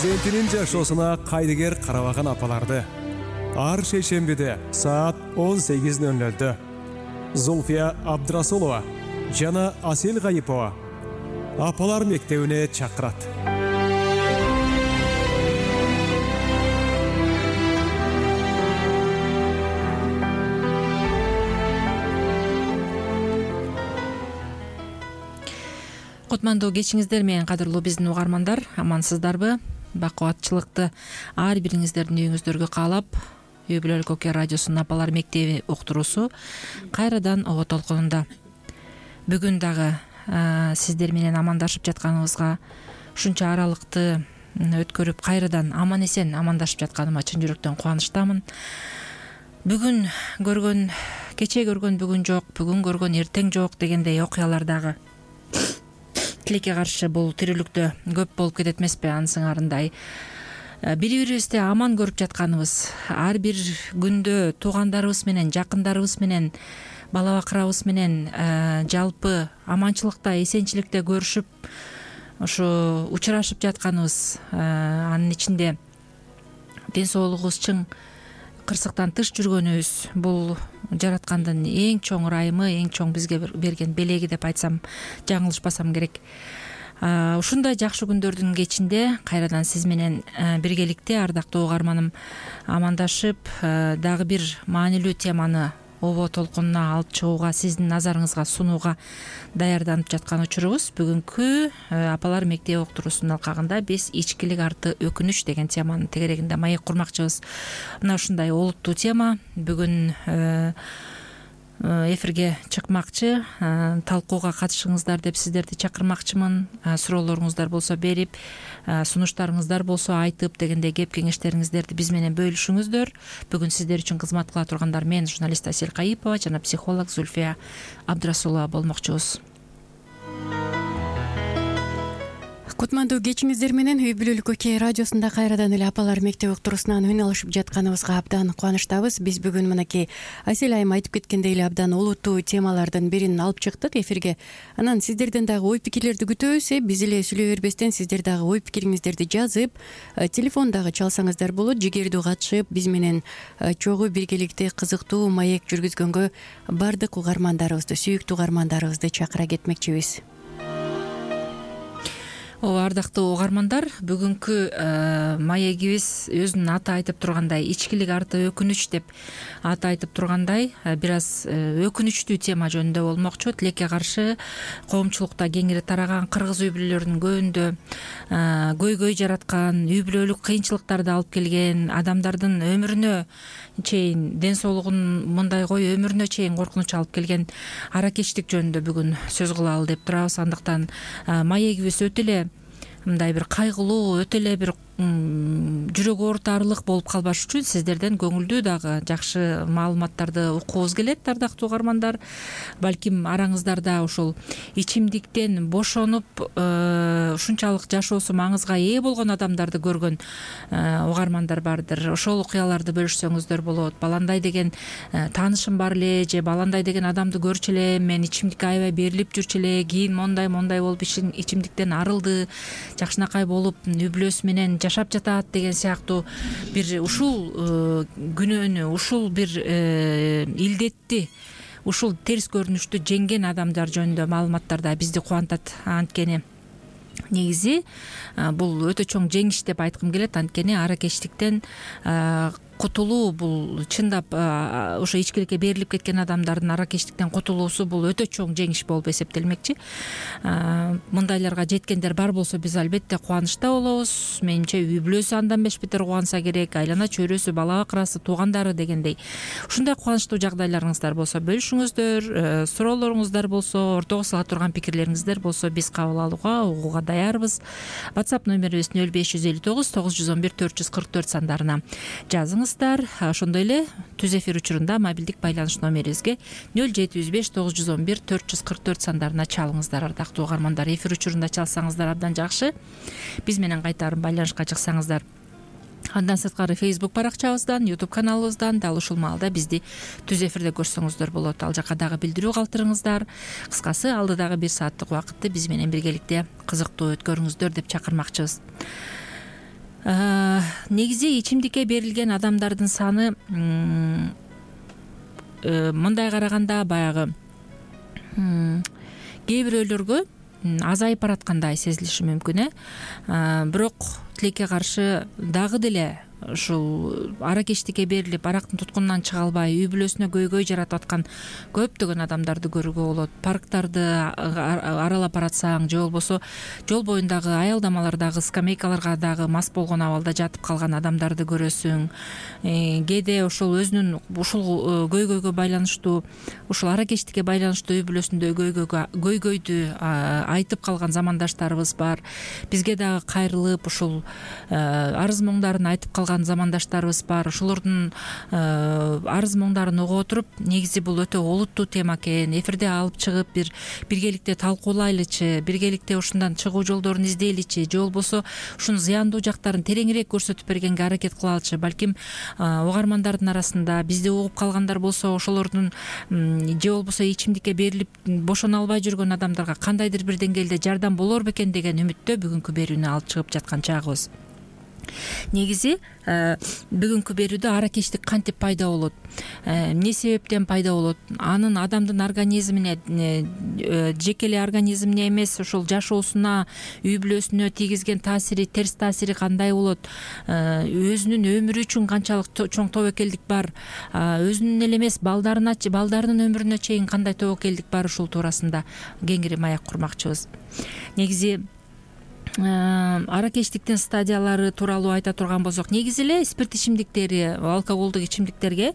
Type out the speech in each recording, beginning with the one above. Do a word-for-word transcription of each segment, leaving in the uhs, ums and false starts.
перзентинин жашоосуна кайдыгер карабаган апаларды ар шейшембиде саат он сегиз ноль нолдо Зульфия Абдрасулова жана Асел Гайипова апалар мектебине чакырат. Кутмандуу кечиңиздер менен кадырлуу биздин угармандар, амансыздарбы? Бакубатчылыкты ар бириңиздердин үйүңүздөргө каалап, Үй бүлөлүк Оке радиосунун апалар мектеби уктуруусу кайрадан ого толкунунда. Бүгүн дагы сиздер менен амандашып жатканыбызга, ушунча аралыкты өткөрүп кайрадан аман эсен амандашып жатканыма чын жүрөктөн кубанычтамын. Бүгүн көргөн, кече көргөн бүгүн жок, бүгүн көргөн эртең жок дегендей окуялар дагы тилекке каршы бул тирүүлүктө көп болуп кетет эмеспи? Ансыңарындай бири бирибизди аман көрүп жатканыбыз, ар бир күндө туугандарыбыз менен, жакындарыбыз менен, бала бакырабыз менен жалпы аманчылыкта, эсенчиликте көрүшүп, ушу учурашып жатканыбыз, анын ичинде ден соолугубуз чың кырсыктан тыш жүргөнүбүз бул жараткандын эң чоң ырайымы, эң чоң бизге берген белеги деп айтсам жаңылышпасам керек. Ушундай жакшы күндөрдүн кечинде кайрадан сиз менен биргеликте, ардактуу угарманым, амандашып, дагы бир маанилүү теманы обо толкунуна алып чыгууга, сиздин назарыңызга сунууга даярданып жаткан учурубуз. Бүгүнкү апалар мектеби уктуруусунун алкагында биз ичкилик арты өкүнүч деген теманын тегерегинде маек курмакчыбыз. Мына ушундай олуттуу тема бүгүн эфирге чыкмакчы. Талкууга катышыңыздар деп сиздерди чакырмакчымын. Суроолоруңуздар болсо берип, сунуштарыңыздар болсо айтып дегендей кеп кеңештериңиздерди биз менен бөлүшүңүздөр. Бүгүн сиздер үчүн кызмат кыла тургандар мен, журналист Асел Гайипова жана психолог Зульфия Абдрасулова болмокчубуз. Кутмандуу кечиңиздер менен Үй бүлөлүк Оке радиосунда кайрадан эле апалар мектеби уктуруусунан үн алышып жатканыбызга абдан кубанычтабыз. Биз бүгүн мынакей Асел айым айтып кеткендей эле абдан олуттуу темалардын бирин алып чыктык эфирге. Анан сиздерден дагы ой пикирлерди күтөбүз. Биз эле сүйлөй бербестен сиздер дагы ой пикириңиздерди жазып, телефон дагы чалсаңыздар болот. Жигердүү катышып, биз менен чогуу биргеликте кызыктуу маек жүргүзгөнгө бардык угармандарыбызды, сүйүктүү угармандарыбызды чакыра кетмекчибиз. Ооба, ардактуу угармандар, бүгүнкү маегибиз өзүнүн аты айтып тургандай, ичкилик арты өкүнүч деп аты айтып тургандай, бир аз өкүнүчтүү тема жөнүндө болмокчу. Тилекке каршы коомчулукта кеңири тараган кыргыз үй бүлөлөрүнүн көбүндө көйгөй жараткан, үй бүлөлүк кыйынчылыктарды алып келген, адамдардын өмүрүнө чейин, ден соолугун мындай кой, өмүрүнө чейин коркунуч алып келген аракечтик жөнүндө бүгүн сөз кылалы деп турабыз. Андыктан маегибиз өтө эле мындай бир кайгылуу, өтө эле бир жүрөк оорутарлык болуп калбаш үчүн сиздерден көңүлдүү дагы жакшы маалыматтарды уккубуз келет, ардактуу угармандар. Балким араңыздарда ушул ичимдиктен бошонуп ушунчалык жашоосу маңызга ээ болгон адамдарды көргөн угармандар бардыр. Ошол окуяларды бөлүшсөңүздөр болот. Баландай деген таанышым бар эле, же баландай деген адамды көрчү элем, мен ичимдикке аябай берилип жүрчү эле, кийин мондай мондай болуп ичимдиктен арылды, жакшынакай болуп үй бүлөсү менен жашап жатат деген сыяктуу бир ушул күнөөнү, ушул бир илдетти, ушул терс көрүнүштү жеңген адамдар жөнүндө маалыматтар да бизди кубантат. Анткени негизи бул өтө чоң жеңиш деп айткым келет. Анткени аракечтиктен кутулуу бул чындап ошо ичкиликке берилип кеткен адамдардын аракечтиктен кутулуусу бул өтө чоң жеңиш болуп эсептелмекчи. Мындайларга жеткендер бар болсо биз албетте кубанычта болобуз. Менимче үй бүлөсү андан беш бетер кубанса керек, айлана чөйрөсү, бала бакырасы, туугандары дегендей. Ушундай кубанычтуу жагдайларыңыздар болсо бөлүшүңүздөр, суроолоруңуздар болсо, ортого сала турган пикирлериңиздер болсо биз кабыл алууга, угууга даярбыз. WhatsApp номерибиз нөл беш жүз элүү тогуз тогуз жүз он бир төрт жүз кырк төрт сандарына жазыңыздар. Ошондой эле түз эфир учурунда мобилдик байланыш номерибизге нөл жети жүз беш тогуз жүз он бир төрт жүз кырк төрт сандарына чалыңыздар. Ардактуу угармандар, эфир учурунда чалсаңыздар абдан жакшы. Биз менен кайтарым байланышка чыксаңыздар Андан сырткары Facebook баракчабыздан, YouTube каналыбыздан дал ушул маалда бизди түз эфирде көрсөңүздөр болот. Ал жака дагы билдирүү калтырыңыздар. Кыскасы, алдыдагы бир сааттык убакытты биз менен биргеликте кызыктуу өткөрүңүздөр деп чакырмакчыбыз. негизи ичимдикке берилген адамдардын саны мындай караганда баягы кээ бирөөлөргө азайып бараткандай сезилиши мүмкүн э бирок тилекке каршы дагы деле ушул аракечтикке берилип арактын туткунунан чыга албай үй бүлөсүнө көйгөй жаратып аткан көптөгөн адамдарды көрүүгө болот. Парктарды аралап баратсаң же болбосо жол боюндагы аялдамалардагы скамейкаларга дагы мас болгон абалда жатып калган адамдарды көрөсүң. Кээде ошол өзүнүн ушул көйгөйгө байланыштуу ушул аракечтикке байланыштуу үй бүлөсүндө көйгөйгө көйгөйдү айтып калган замандаштарыбыз бар. Бизге дагы кайрылып ушул арыз моңдарын айтып калган замандаштарыбыз бар. Ошолордун арыз моңдарын угуп отуруп, негизи бул өтө олуттуу тема экен. Эфирде алып чыгып бир биргеликте талкуулайлычы, биргеликте ушундан чыгуу жолдорун издейличи, же болбосо ушунун зыяндуу жактарын тереңирээк көрсөтүп бергенге аракет кылалычы. Балким угармандардын арасында бизди угуп калгандар болсо ошолордун же болбосо ичимдикке берилип бошоно албай жүргөн адамдарга кандайдыр бир деңгээлде жардам болор бекен деген үмүттө бүгүнкү берүүнү алып чыгып жаткан чагыбыз. Негизи бүгүнкү берүүдө аракечтик кантип пайда болот, эмне себептен пайда болот, анын адамдын организмине жеке эле организмине эмес ошол жашоосуна, үй бүлөсүнө тийгизген таасири, терс таасири кандай болот, өзүнүн өмүрү үчүн канчалык чоң тобокелдик бар, өзүнүн эле эмес балдарына балдарынын өмүрүнө чейин кандай тобокелдик бар, ушул туурасында кеңири маек курмакчыбыз. Негизи аракечтиктин стадиялары тууралуу айта турган болсок, негизи эле спирт ичимдиктери, алкоголдук ичимдиктерге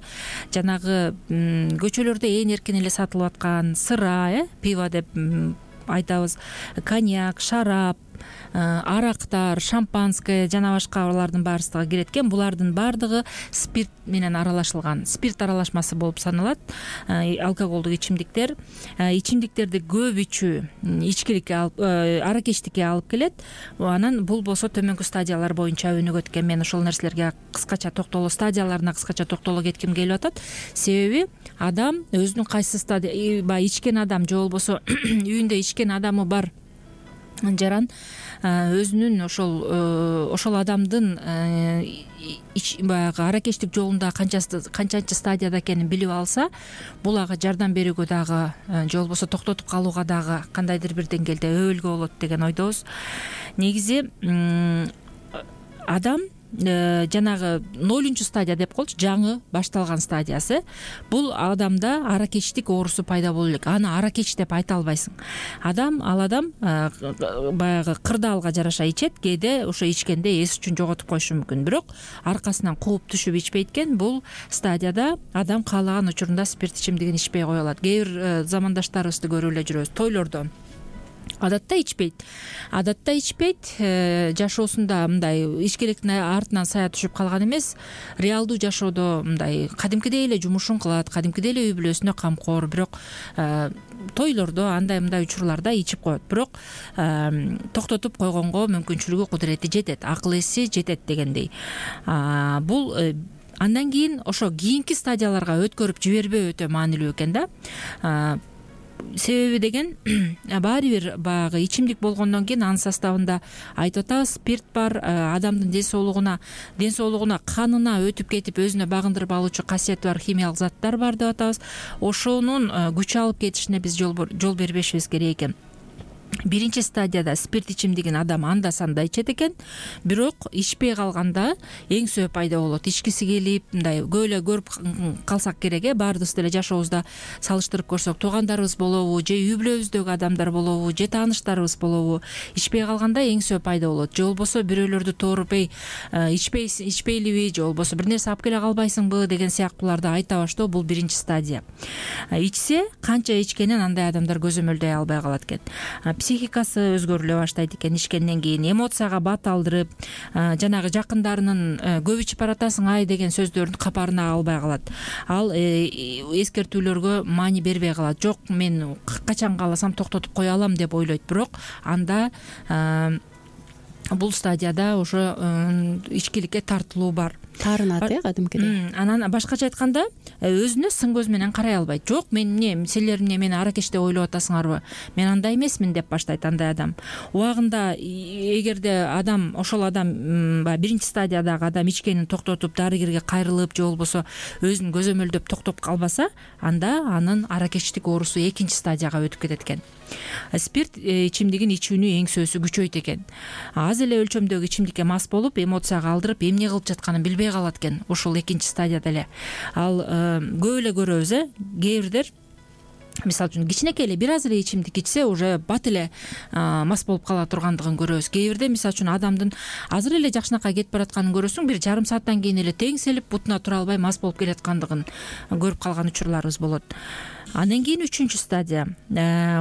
жанагы көчөлөрдө ээн эркин эле сатылып аткан сыра, э пиво деп айтабыз, коньяк, шарап, арактар, шампанское жана башкалардын баарысыга кирет экен. Булардын баардыгы спирт менен аралашылган, спирт аралашмасы болуп саналат. Алкоголдук ичимдиктер, ичимдиктерди көп ичүү ичкиликке алып, аракечтикке алып келет. Анан бул болсо төмөнкү стадиялар боюнча өнүгөт экен. Мен ошол нерселерге кыскача токтоло, стадияларына кыскача токтоло кетким келип атат. Себеби адам өзүнүн кайсы стадия, баягы ичкен адам же болбосо үйүндө ичкен адамы бар жаран өзүнүн ошол ошол адамдын баягы аракечтик жолунда канчанчы стадияда экенин билип алса, бул ага жардам берүүгө дагы же болбосо токтотуп калууга дагы кандайдыр бир деңгээлде өбөлгө болот деген ойдобуз. Негизи адам жанагы нолунчу стадия деп коелучу, жаңы башталган стадиясы, бул адамда аракечтик оорусу пайда боло элек. Аны аракеч деп айта албайсың. Адам, ал адам баягы кырдаалга жараша ичет, кээде ошо ичкенде эс үчүн жоготуп коюшу мүмкүн. Бирок аркасынан кууп түшүп ичпейт экен. Бул стадияда адам каалаган учурунда спирт ичимдигин ичпей кое алат. Кээ бир замандаштарыбызды көрүп эле жүрөбүз. Тойлордо адатта ичпейт. Адатта ичпейт, жашоосунда мындай ичкиликтин артынан сая түшүп калган эмес, реалдуу жашоодо мындай кадимкидей эле жумушун кылат, кадимкидей эле үй бүлөсүнө камкор, бирок тойлордо андай мындай учурларда ичип коет. Бирок токтотуп койгонго мүмкүнчүлүгү, кудурети жетет, акыл эси жетет дегендей. Бул андан кийин ошо кийинки стадияларга өткөрүп жибербөө өтө маанилүү экен да. Себеби деген баары бир баягы ичимдик болгондон кийин анын составында айтып атабыз, спирт бар, адамдын ден соолугуна, ден соолугуна, канына өтүп кетип өзүнө багындырып алуучу касиети бар химиялык заттар бар деп атабыз. Ошонун күч алып кетишине биз жол бербешибиз керек экен. Биринчи стадияда спирт ичимдигин адам анда санда ичет экен, бирок ичпей калганда эң сөө пайда болот. Ичкиси келип, мындай көп эле көрүп калсак керек, э баарыбыз деле жашообузда салыштырып көрсөк, туугандарыбыз болобу, же үй бүлөбүздөгү адамдар болобу, же тааныштарыбыз болобу, ичпей калганда эң сөө пайда болот. Же болбосо бирөөлөрдү тооруп, эй, ичпей ичпейлиби, же болбосо бир нерсе алып келе калбайсыңбы деген сыяктууларды айта баштоо, бул биринчи стадия. Ичсе, канча ичкенин андай адамдар көзөмөлдөй албай калат экен. Психикасы өзгөрүлө баштайт экен ичкенден кийин, эмоцияга бат алдырып, жанагы жакындарынын көп ичип баратасың ай деген сөздөрүн капарына албай калат. Ал эскертүүлөргө маани бербей калат. Жок, мен качан кааласам токтотуп кое алам деп ойлойт. Бирок анда бул стадияда ошо ичкиликке тартылуу бар. таарынат э кадимкидей. Анан башкача айтканда өзүнө сын көз менен карай албайт. Жок, мен эмне, силер эмне мени аракеч деп ойлоп атасыңарбы? Мен андай эмесмин деп баштайт андай адам. Убагында эгерде адам ошол адам баягы биринчи стадиядагы адам ичкенин токтотуп, дарыгерге кайрылып же болбосо өзүн көзөмөлдөп токтоп калбаса, анда анын аракечтик оорусу экинчи стадияга өтүп кетет экен. Спирт ичимдигин ичүүнү эңсөөсү күчөйт экен. Аз эле өлчөмдөгү ичимдикке мас болуп, эмоцияга алдырып, эмне кылып жатканын билбей калат экен. Ушул экинчи стадияда эле. Ал көп эле көрөбүз э, кээ бирдер мисалы үчүн кичинекей эле бир аз эле ичимдик ичсе уже бат эле мас болуп кала тургандыгын көрөбүз. Кээ бирде мисалы үчүн адамдын азыр эле жакшынакай кетип баратканын көрөсүң, бир жарым сааттан кийин эле теңселип, бутуна тура албай мас болуп келаткандыгын көрүп калган учурларыбыз болот. Андан кийин үчүнчү стадия.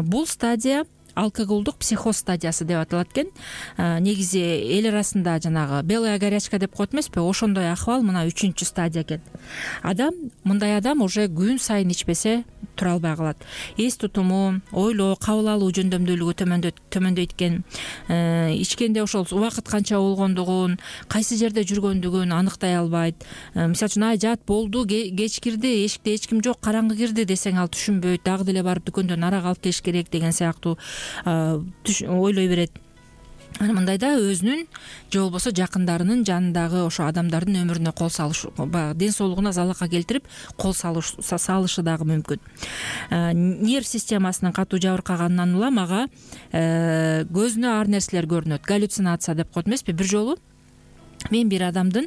Бул стадия алкоголдук психоз стадиясы деп аталат экен. Негизи эл арасында жанагы белая горячка деп коет эмеспи? Ошондой акыбал мына үчүнчү стадия экен. Адам, мындай адам уже күн сайын ичпесе тура албай калат. Эс тутуму, ойлоо, кабыл алуу жөндөмдүүлүгү төмөндөйт төмөндөйт экен. Ичкенде ошол убакыт канча болгондугун, кайсы жерде жүргөндүгүн аныктай албайт. Мисалы үчүн ай жат болду, кеч кирди, эшикте эч ким жок, караңгы кирди десең ал түшүнбөйт, дагы деле барып дүкөндөн арак алып келиш керек деген сыяктуу ойлой берет. Ана мындайда өзүнүн же болбосо жакындарынын жанындагы ошо адамдардын өмүрүнө кол салыш, баягы ден соолугуна залака келтирип кол салышы дагы мүмкүн. Нерв системасынын катуу жабыркаганынан улам ага көзүнө ар нерселер көрүнөт. Галлюцинация деп коет эмеспи? Бир жолу мен бир адамдын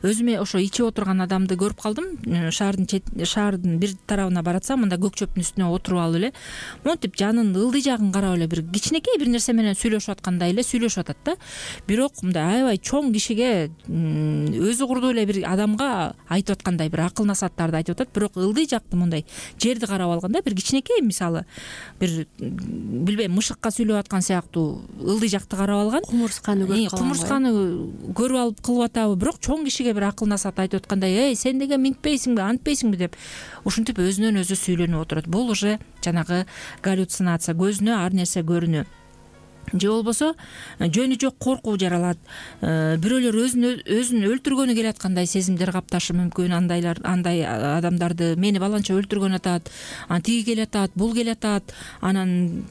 өзүмө ошо ичип отурган адамды көрүп калдым. Шаардын шаардын бир тарабына баратсам, мында көк чөптүн үстүнө отуруп алып эле, монтип жанын ылдый жагын карап эле бир кичинекей бир нерсе менен сүйлөшүп аткандай эле сүйлөшүп атат да. Бирок мындай аябай чоң кишиге, өзү курдуу эле бир адамга айтып аткандай бир акыл насааттарды айтып атат. Бирок ылдый жакты мындай жерди карап алганда бир кичинекей, мисалы бир билбейм, мышыкка сүйлөп аткан сыяктуу ылдый жакты карап алган. Кумурсканы көрүп калган. Кумурсканы көрүп алып кылып атабы, бирок чоң кишиге бир акыл насаат айтып аткандай, эй, сен деген минтпейсиңби, антпейсиңби деп ушинтип өзүнөн өзү сүйлөнүп отурат. Бул уже жанагы галлюцинация, көзүнө ар нерсе көрүнүү. Же болбосо жөнү жок коркуу жаралат. Бирөөлөр өзүн өзүн өлтүргөнү келаткандай сезимдер капташы мүмкүн. Андайлар, андай адамдарды мени баланча өлтүргөн атат, ан тиги келатат, бул келатат, анан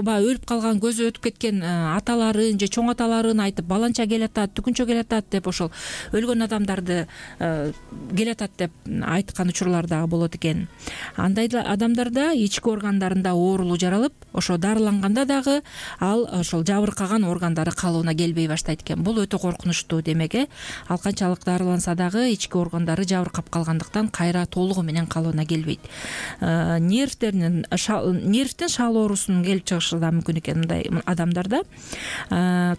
баягы өлүп калган, көзү өтүп кеткен аталарын же чоң аталарын айтып баланча келатат, түкүнчө келатат деп ошол өлгөн адамдарды келатат деп айткан учурлар дагы болот экен. Андай адамдарда ички органдарында оорулуу жаралып, ошо дарыланганда дагы ал ошол жабыркаган органдары калыбына келбей баштайт экен. Бул өтө коркунучтуу демек э. Ал канчалык дарыланса дагы ички органдары жабыркап калгандыктан кайра толугу менен калыбына келбейт. Нервтеринин нервтин шал оорусунун келип чыгышы да мүмкүн экен мындай адамдарда.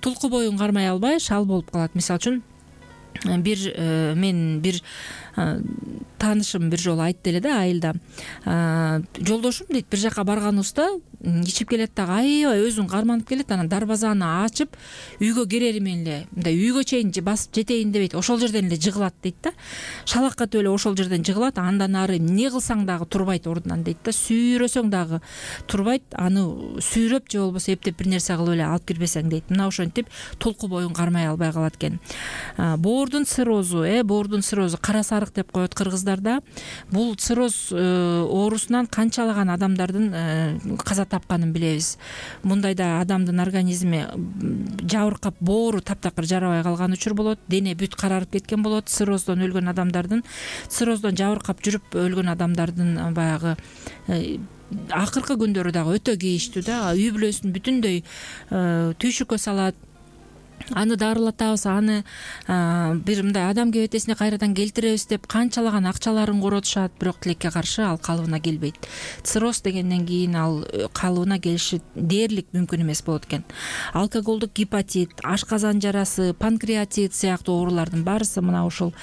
Тулку боюн кармай албай шал болуп калат. Мисалы үчүн бир мен бир таанышым бир жолу айтты эле да, айылда. Жолдошум дейт, бир жака барганыбызда ичип келет дагы аябай өзүн карманып келет, анан дарбазаны ачып үйгө кирери менен эле мындай үйгө чейин басып жетейин дебейт, ошол жерден эле жыгылат дейт да. Шалакат эле ошол жерден жыгылат, андан ары эмне кылсаң дагы турбайт ордунан дейт да. Сүйрөсөң дагы турбайт, аны сүйрөп же болбосо эптеп бир нерсе кылып эле алып кирбесең дейт. Мына ошентип толку боюн кармай албай калат экен. Боордун циррозу, э, боордун циррозу, кара сарык деп коет кыргыздарда. Бул цирроз оорусунан канчалаган адамдардын каза тапканын билебиз. Мындайда адамдын организми жабыркап, боору таптакыр жарабай калган учур болот, дене бүт карарып кеткен болот. Цирроздон өлгөн адамдардын, цирроздон жабыркап жүрүп өлгөн адамдардын баягы акыркы күндөрү дагы өтө кейиштүү да. Үй бүлөсүн бүтүндөй түйшүккө салат. Аны дарылатабыз, аны бир мындай адам кебетесине кайрадан келтиребиз деп канчалаган акчаларын коротушат, бирок тилекке каршы ал калыбына келбейт. Цирроз дегенден кийин ал калыбына келиши дээрлик мүмкүн эмес болот экен. Алкоголдук гепатит, ашказан жарасы, панкреатит сыяктуу оорулардын баарысы мына ушул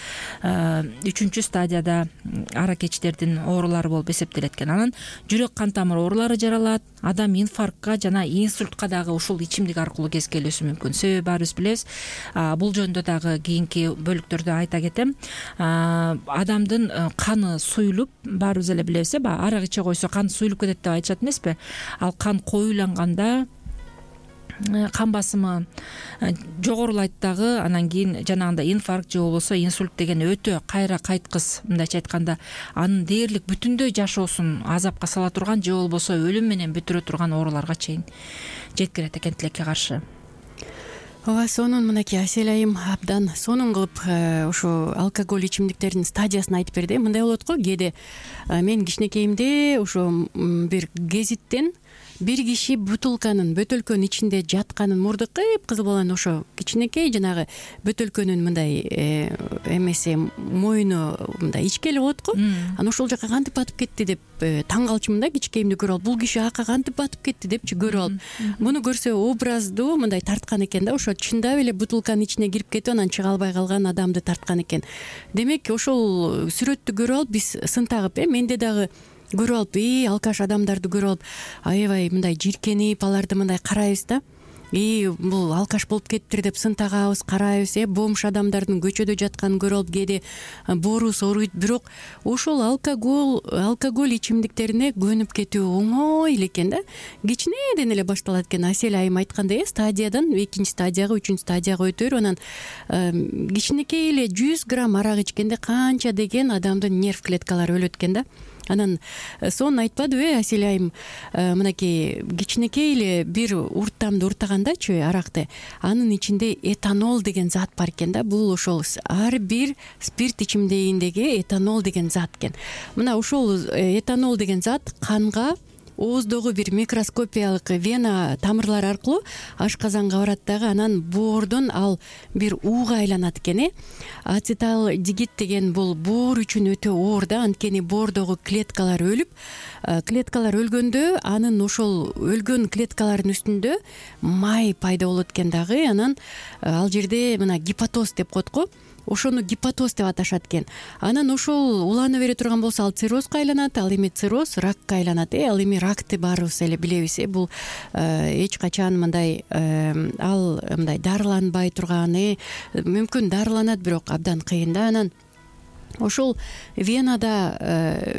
үчүнчү стадияда аракечтердин оорулары болуп эсептелет экен. Анан жүрөк кан тамыр оорулары жаралат, адам инфарктка жана инсультка дагы ушул ичимдик аркылуу кезикелүүсү мүмкүн. Себеби баарыбыз билебиз. Бул жөнүндө дагы кийинки бөлүктөрдө айта кетем. Адамдын каны суюлуп, баарыбыз эле билебиз, арак иче койсо кан суюлуп кетет деп айтышат эмеспи? Ал кан коюланганда кан басымы жогорулайт дагы, анан кийин жанагындай инфаркт же болбосо инсульт деген өтө кайра кайткыс, мындайча айтканда анын дээрлик бүтүндөй жашоосун азапка сала турган же болбосо өлүм менен бүтүрө турган ооруларга чейин жеткирет экен тилекке каршы. ооба, сонун мынакей Асель айым абдан сонун кылып ушу алкоголь ичимдиктердин стадиясын айтып берди. Мындай болот го, кээде мен кичинекейимде ошо бир гезиттен бир киши бутылканын бөтөлкөнүн ичинде жатканын, мурду кыпкызыл болгон ошо кичинекей жанагы бөтөлкөнүн мындай эмеси моюну мындай ичкели болот го. Анан ошол жака кантип батып кетти деп таң калчумун да, кичинекейимди көрүп алып, бул киши ака кантип батып кетти депчи көрүп алып. Муну көрсө образдуу мындай тарткан экен да, ошо чындап эле бутылканын ичине кирип кетип анан чыга албай калган адамды тарткан экен. Демек ошол сүрөттү көрүп алып биз сын тагып, э менде дагы көрүп алып, и алкаш адамдарды көрүп алып аябай мындай жиркенип аларды мындай карайбыз да. И бул алкаш болуп кетиптир деп сын тагабыз, карайбыз, э бомж адамдардын көчөдө жатканын көрүп алып кээде боорубуз ооруйт. Бирок ошол алкоголь алкоголь ичимдиктерине көнүп кетүү оңой эле экен да. Кичинеден эле башталат экен. Асель айым айткандай, э стадиядан экинчи стадияга, үчүнчү стадияга өтө берип анан кичинекей эле жүз грамм арак ичкенде канча деген адамдын нерв клеткалары өлөт экен да. Анан сонун айтпадыбы, э Асель айым мынакей кичинекей эле бир урттамды уртагандачы аракты, анын ичинде этанол деген зат бар экен да. Бул ошол ар бир спирт ичимдегиндеги этанол деген зат экен. Мына ошол этанол деген зат канга ооздогу бир микроскопиялык вена тамырлары аркылуу ашказанга барат дагы, анан боордон ал бир ууга айланат экен. э Ацеталдегид деген бул боор үчүн өтө оор да, анткени боордогу клеткалар өлүп, клеткалар өлгөндө анын ошол өлгөн клеткалардын үстүндө май пайда болот экен дагы. Анан ал жерде мына гепатоз деп коет го, ошону гепатоз деп аташат экен. Анан ошол улана бере турган болсо ал циррозго айланат, ал эми цирроз ракка айланат. э Ал эми ракты баарыбыз эле билебиз. э Бул эч качан мындай ал мындай дарыланбай турган, э мүмкүн дарыланат, бирок абдан кыйын да. Анан ошол венада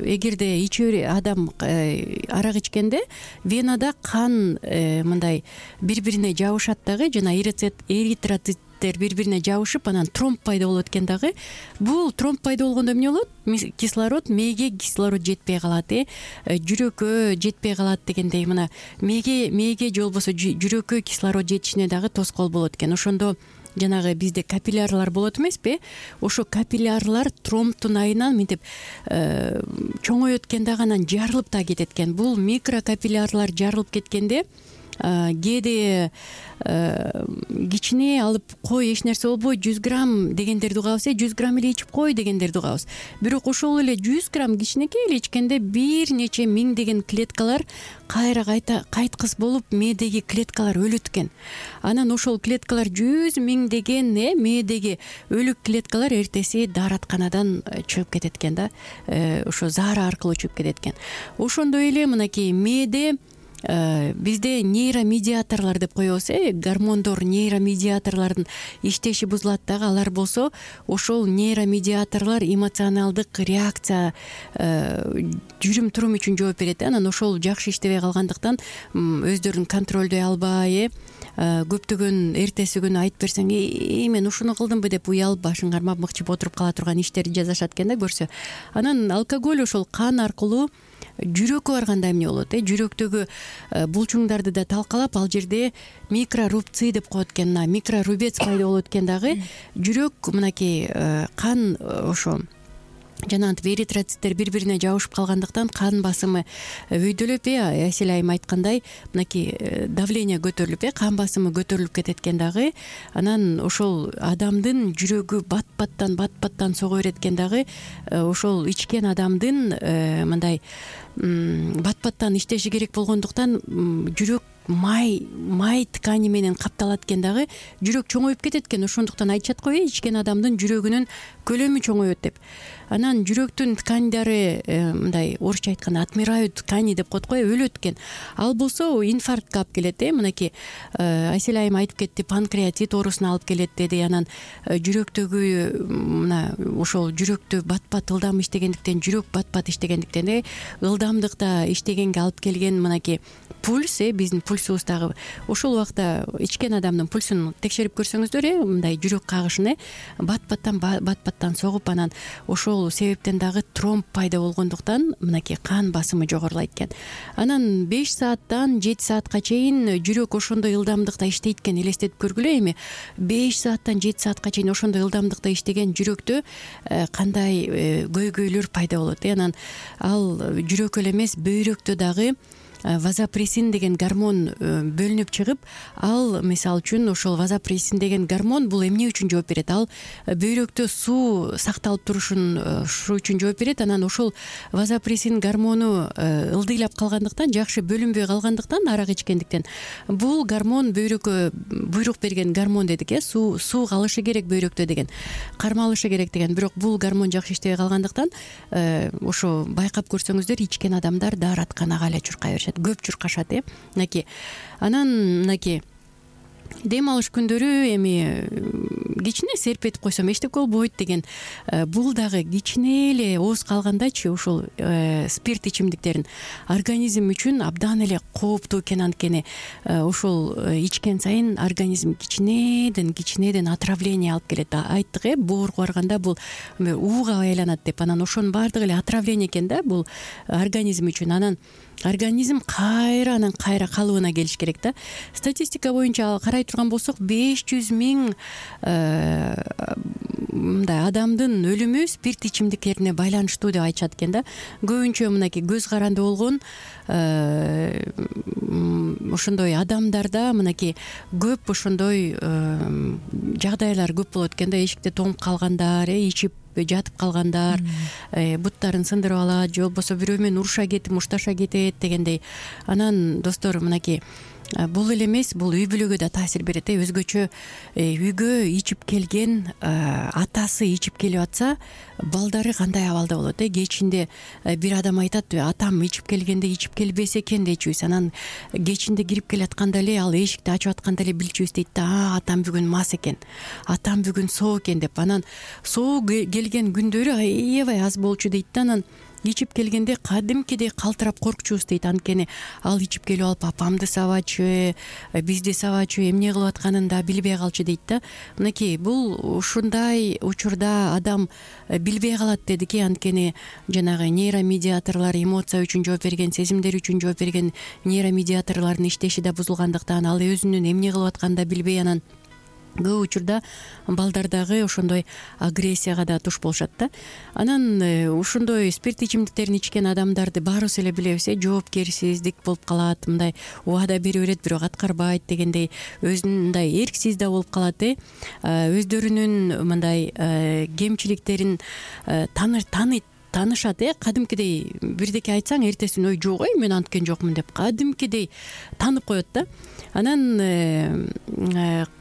эгерде иче адам арак ичкенде венада кан мындай бири бирине жабышат дагы, жана эритроцит бири бирине жабышып анан тромб пайда болот экен дагы. Бул тромб пайда болгондо эмне болот? Кислород, мээге кислород жетпей калат, э жүрөккө жетпей калат дегендей, мына мээге мээге же болбосо жүрөккө кислород жетишине дагы тоскоол болот экен. Ошондо жанагы бизде капиллярлар болот эмеспи? Ошо капиллярлар тромбтун айынан мынтип чоңоет экен дагы, анан жарылып да кетет экен. Бул микрокапиллярлар жарылып кеткенде кээде кичине алып кой, эч нерсе болбойт, жүз грамм дегендерди угабыз, э жүз грамм эле ичип кой дегендерди угабыз. Бирок ошол эле жүз грамм кичинекей эле ичкенде бир нече миңдеген клеткалар кайра кайта кайткыс болуп мээдеги клеткалар өлөт экен. Анан ошол клеткалар жүз миңдеген э мээдеги өлүк клеткалар эртеси дааратканадан чыгып кетет экен да. Ошо заара аркылуу чыгып кетет экен. Ошондой эле мынакей мээде бизде нейромедиаторлор деп коебуз, э гормондор, нейромедиаторлордун иштеши бузулат дагы. Алар болсо ошол нейромедиаторлор эмоционалдык реакция жүрүм турум үчүн жооп берет. Анан ошол жакшы иштебей калгандыктан өздөрүн контролдой албай, э көптөгөн эртеси күнү айтып берсең, э мен ушуну кылдымбы деп уялып башын кармап мыкчып отуруп кала турган иштерди жасашат экен да көрсө. Анан алкоголь ошол кан аркылуу жүрөккө барганда эмне болот, э жүрөктөгү булчуңдарды да талкалап, ал жерде микрорубцы деп коет экен. Микрорубец пайда болот экен дагы. Жүрөк мынакей кан ошо жанагынтип эритроциттер бири бирине жабышып калгандыктан кан басымы өйдөлөп, э Асель айым айткандай, мынакей давление көтөрүлүп, э кан басымы көтөрүлүп кетет экен дагы. Анан ошол адамдын жүрөгү бат-баттан бат-баттан сого берет экен дагы. Ошол ичкен адамдын мындай бат-баттан иштеши керек болгондуктан жүрөк май май ткани менен капталат экен дагы. Жүрөк чоңоюп кетет экен. Ошондуктан айтышат го, ичкен адамдын жүрөгүнүн көлөмү чоңоет деп. Анан жүрөктүн тканидары мындай орусча айтканда отмирают ткани деп коет го, өлөт экен. Ал болсо инфарктка алып келет, э мынакей Асель айым айтып кетти, панкреатит оорусуна алып келет деди. Анан жүрөктөгү мына ошол жүрөктү бат-бат ылдам иштегендиктен, жүрөк бат-бат иштегендиктен, э ылдамдыкта иштегенге алып келген мынакей пульс, э биздин пульс пульсубуз дагы ошол убакта ичкен адамдын пульсун текшерип көрсөңүздөр э мындай жүрөк кагышын э бат баттан бат баттан согуп анан ошол себептен дагы тромб пайда болгондуктан мынакей кан басымы жогорулайт экен. Анан беш сааттан жети саатка чейин жүрөк ошондой ылдамдыкта иштейт экен. Элестетип көргүлө эми беш сааттан жети саатка чейин ошондой ылдамдыкта иштеген жүрөктө кандай көйгөйлөр пайда болот э анан ал жүрөк эле эмес бөйрөктө дагы вазопрессин деген гормон бөлүнүп чыгып, ал мисалы үчүн ошол вазопрессин деген гормон бул эмне үчүн жооп берет? Ал бөйрөктө суу сакталып турушун ушу үчүн жооп берет. Анан ошол вазопрессин гормону ылдыйлап калгандыктан, жакшы бөлүнбөй калгандыктан, арак ичкендиктен бул гормон бөйрөккө буйрук берген гормон дедик э суу суу калышы керек бөйрөктө деген, кармалышы керек деген. Бирок бул гормон жакшы иштебей калгандыктан ошо байкап көрсөңүздөр ичкен адамдар дааратканага эле чуркай беришет, көп чуркашат э мынакей. Анан мынакей дем алыш күндөрү эми кичине серпетип койсом эчтеке болбойт деген, бул дагы кичине эле ооз калгандачы ушул спирт ичимдиктерин организм үчүн абдан эле кооптуу экен. Анткени ошол ичкен сайын организм кичинеден кичинеден отравление алып келет. Айттык э боорго барганда бул ууга айланат деп. Анан ошонун баардыгы эле отравление экен да бул организм үчүн. Анан организм кайра анан кайра калыбына келиш керек да. Статистика боюнча карай турган болсок, беш жүз миң мындай адамдын өлүмү спирт ичимдиктерине байланыштуу деп айтышат экен да. Көбүнчө мынакей көз каранды болгон ошондой адамдарда мынакей көп ошондой жагдайлар көп болот экен да. Эшикте тоңуп калгандар, ичип жатып калгандар, буттарын сындырып алат, же болбосо бирөө менен уруша кетип мушташа кетет дегендей. Анан достор, мынакей бул эле эмес, бул үй бүлөгө да таасир берет э. Өзгөчө үйгө ичип келген атасы ичип келип атса, балдары кандай абалда болот э. Кечинде бир адам айтат, атам ичип келгенде ичип келбесе экен дечүбүз. Анан кечинде кирип келатканда эле, ал эшикти ачып атканда эле билчүбүз дейт да, а атам бүгүн мас экен, атам бүгүн соо экен деп. Анан соо келген күндөрү аябай аз болчу дейт да. Анан ичип келгенде кадимкидей калтырап коркчубуз дейт. Анткени ал ичип келип алып апамды сабачы, бизди сабачы, эмне кылып атканын да билбей калчу дейт да. Мынакей бул ушундай учурда адам билбей калат дедик э. Анткени жанагы нейромедиаторлор, эмоция үчүн жооп берген, сезимдер үчүн жооп берген нейромедиаторлордун иштеши да бузулгандыктан, ал өзүнүн эмне кылып атканын да билбей, анан көп учурда балдар дагы ошондой агрессияга да туш болушат да. Анан ушондой спирт ичимдиктерин ичкен адамдарды баарыбыз эле билебиз э, жоопкерсиздик болуп калат, мындай убада бере берет бирок аткарбайт дегендей, өзүн мындай эрксиз да болуп калат э. Өздөрүнүн мындай кемчиликтерин тааныйт таанышат э. Кадимкидей бирдеке айтсаң, эртеси күнү ой жок ой мен анткен жокмун деп кадимкидей таанып коет да. Анан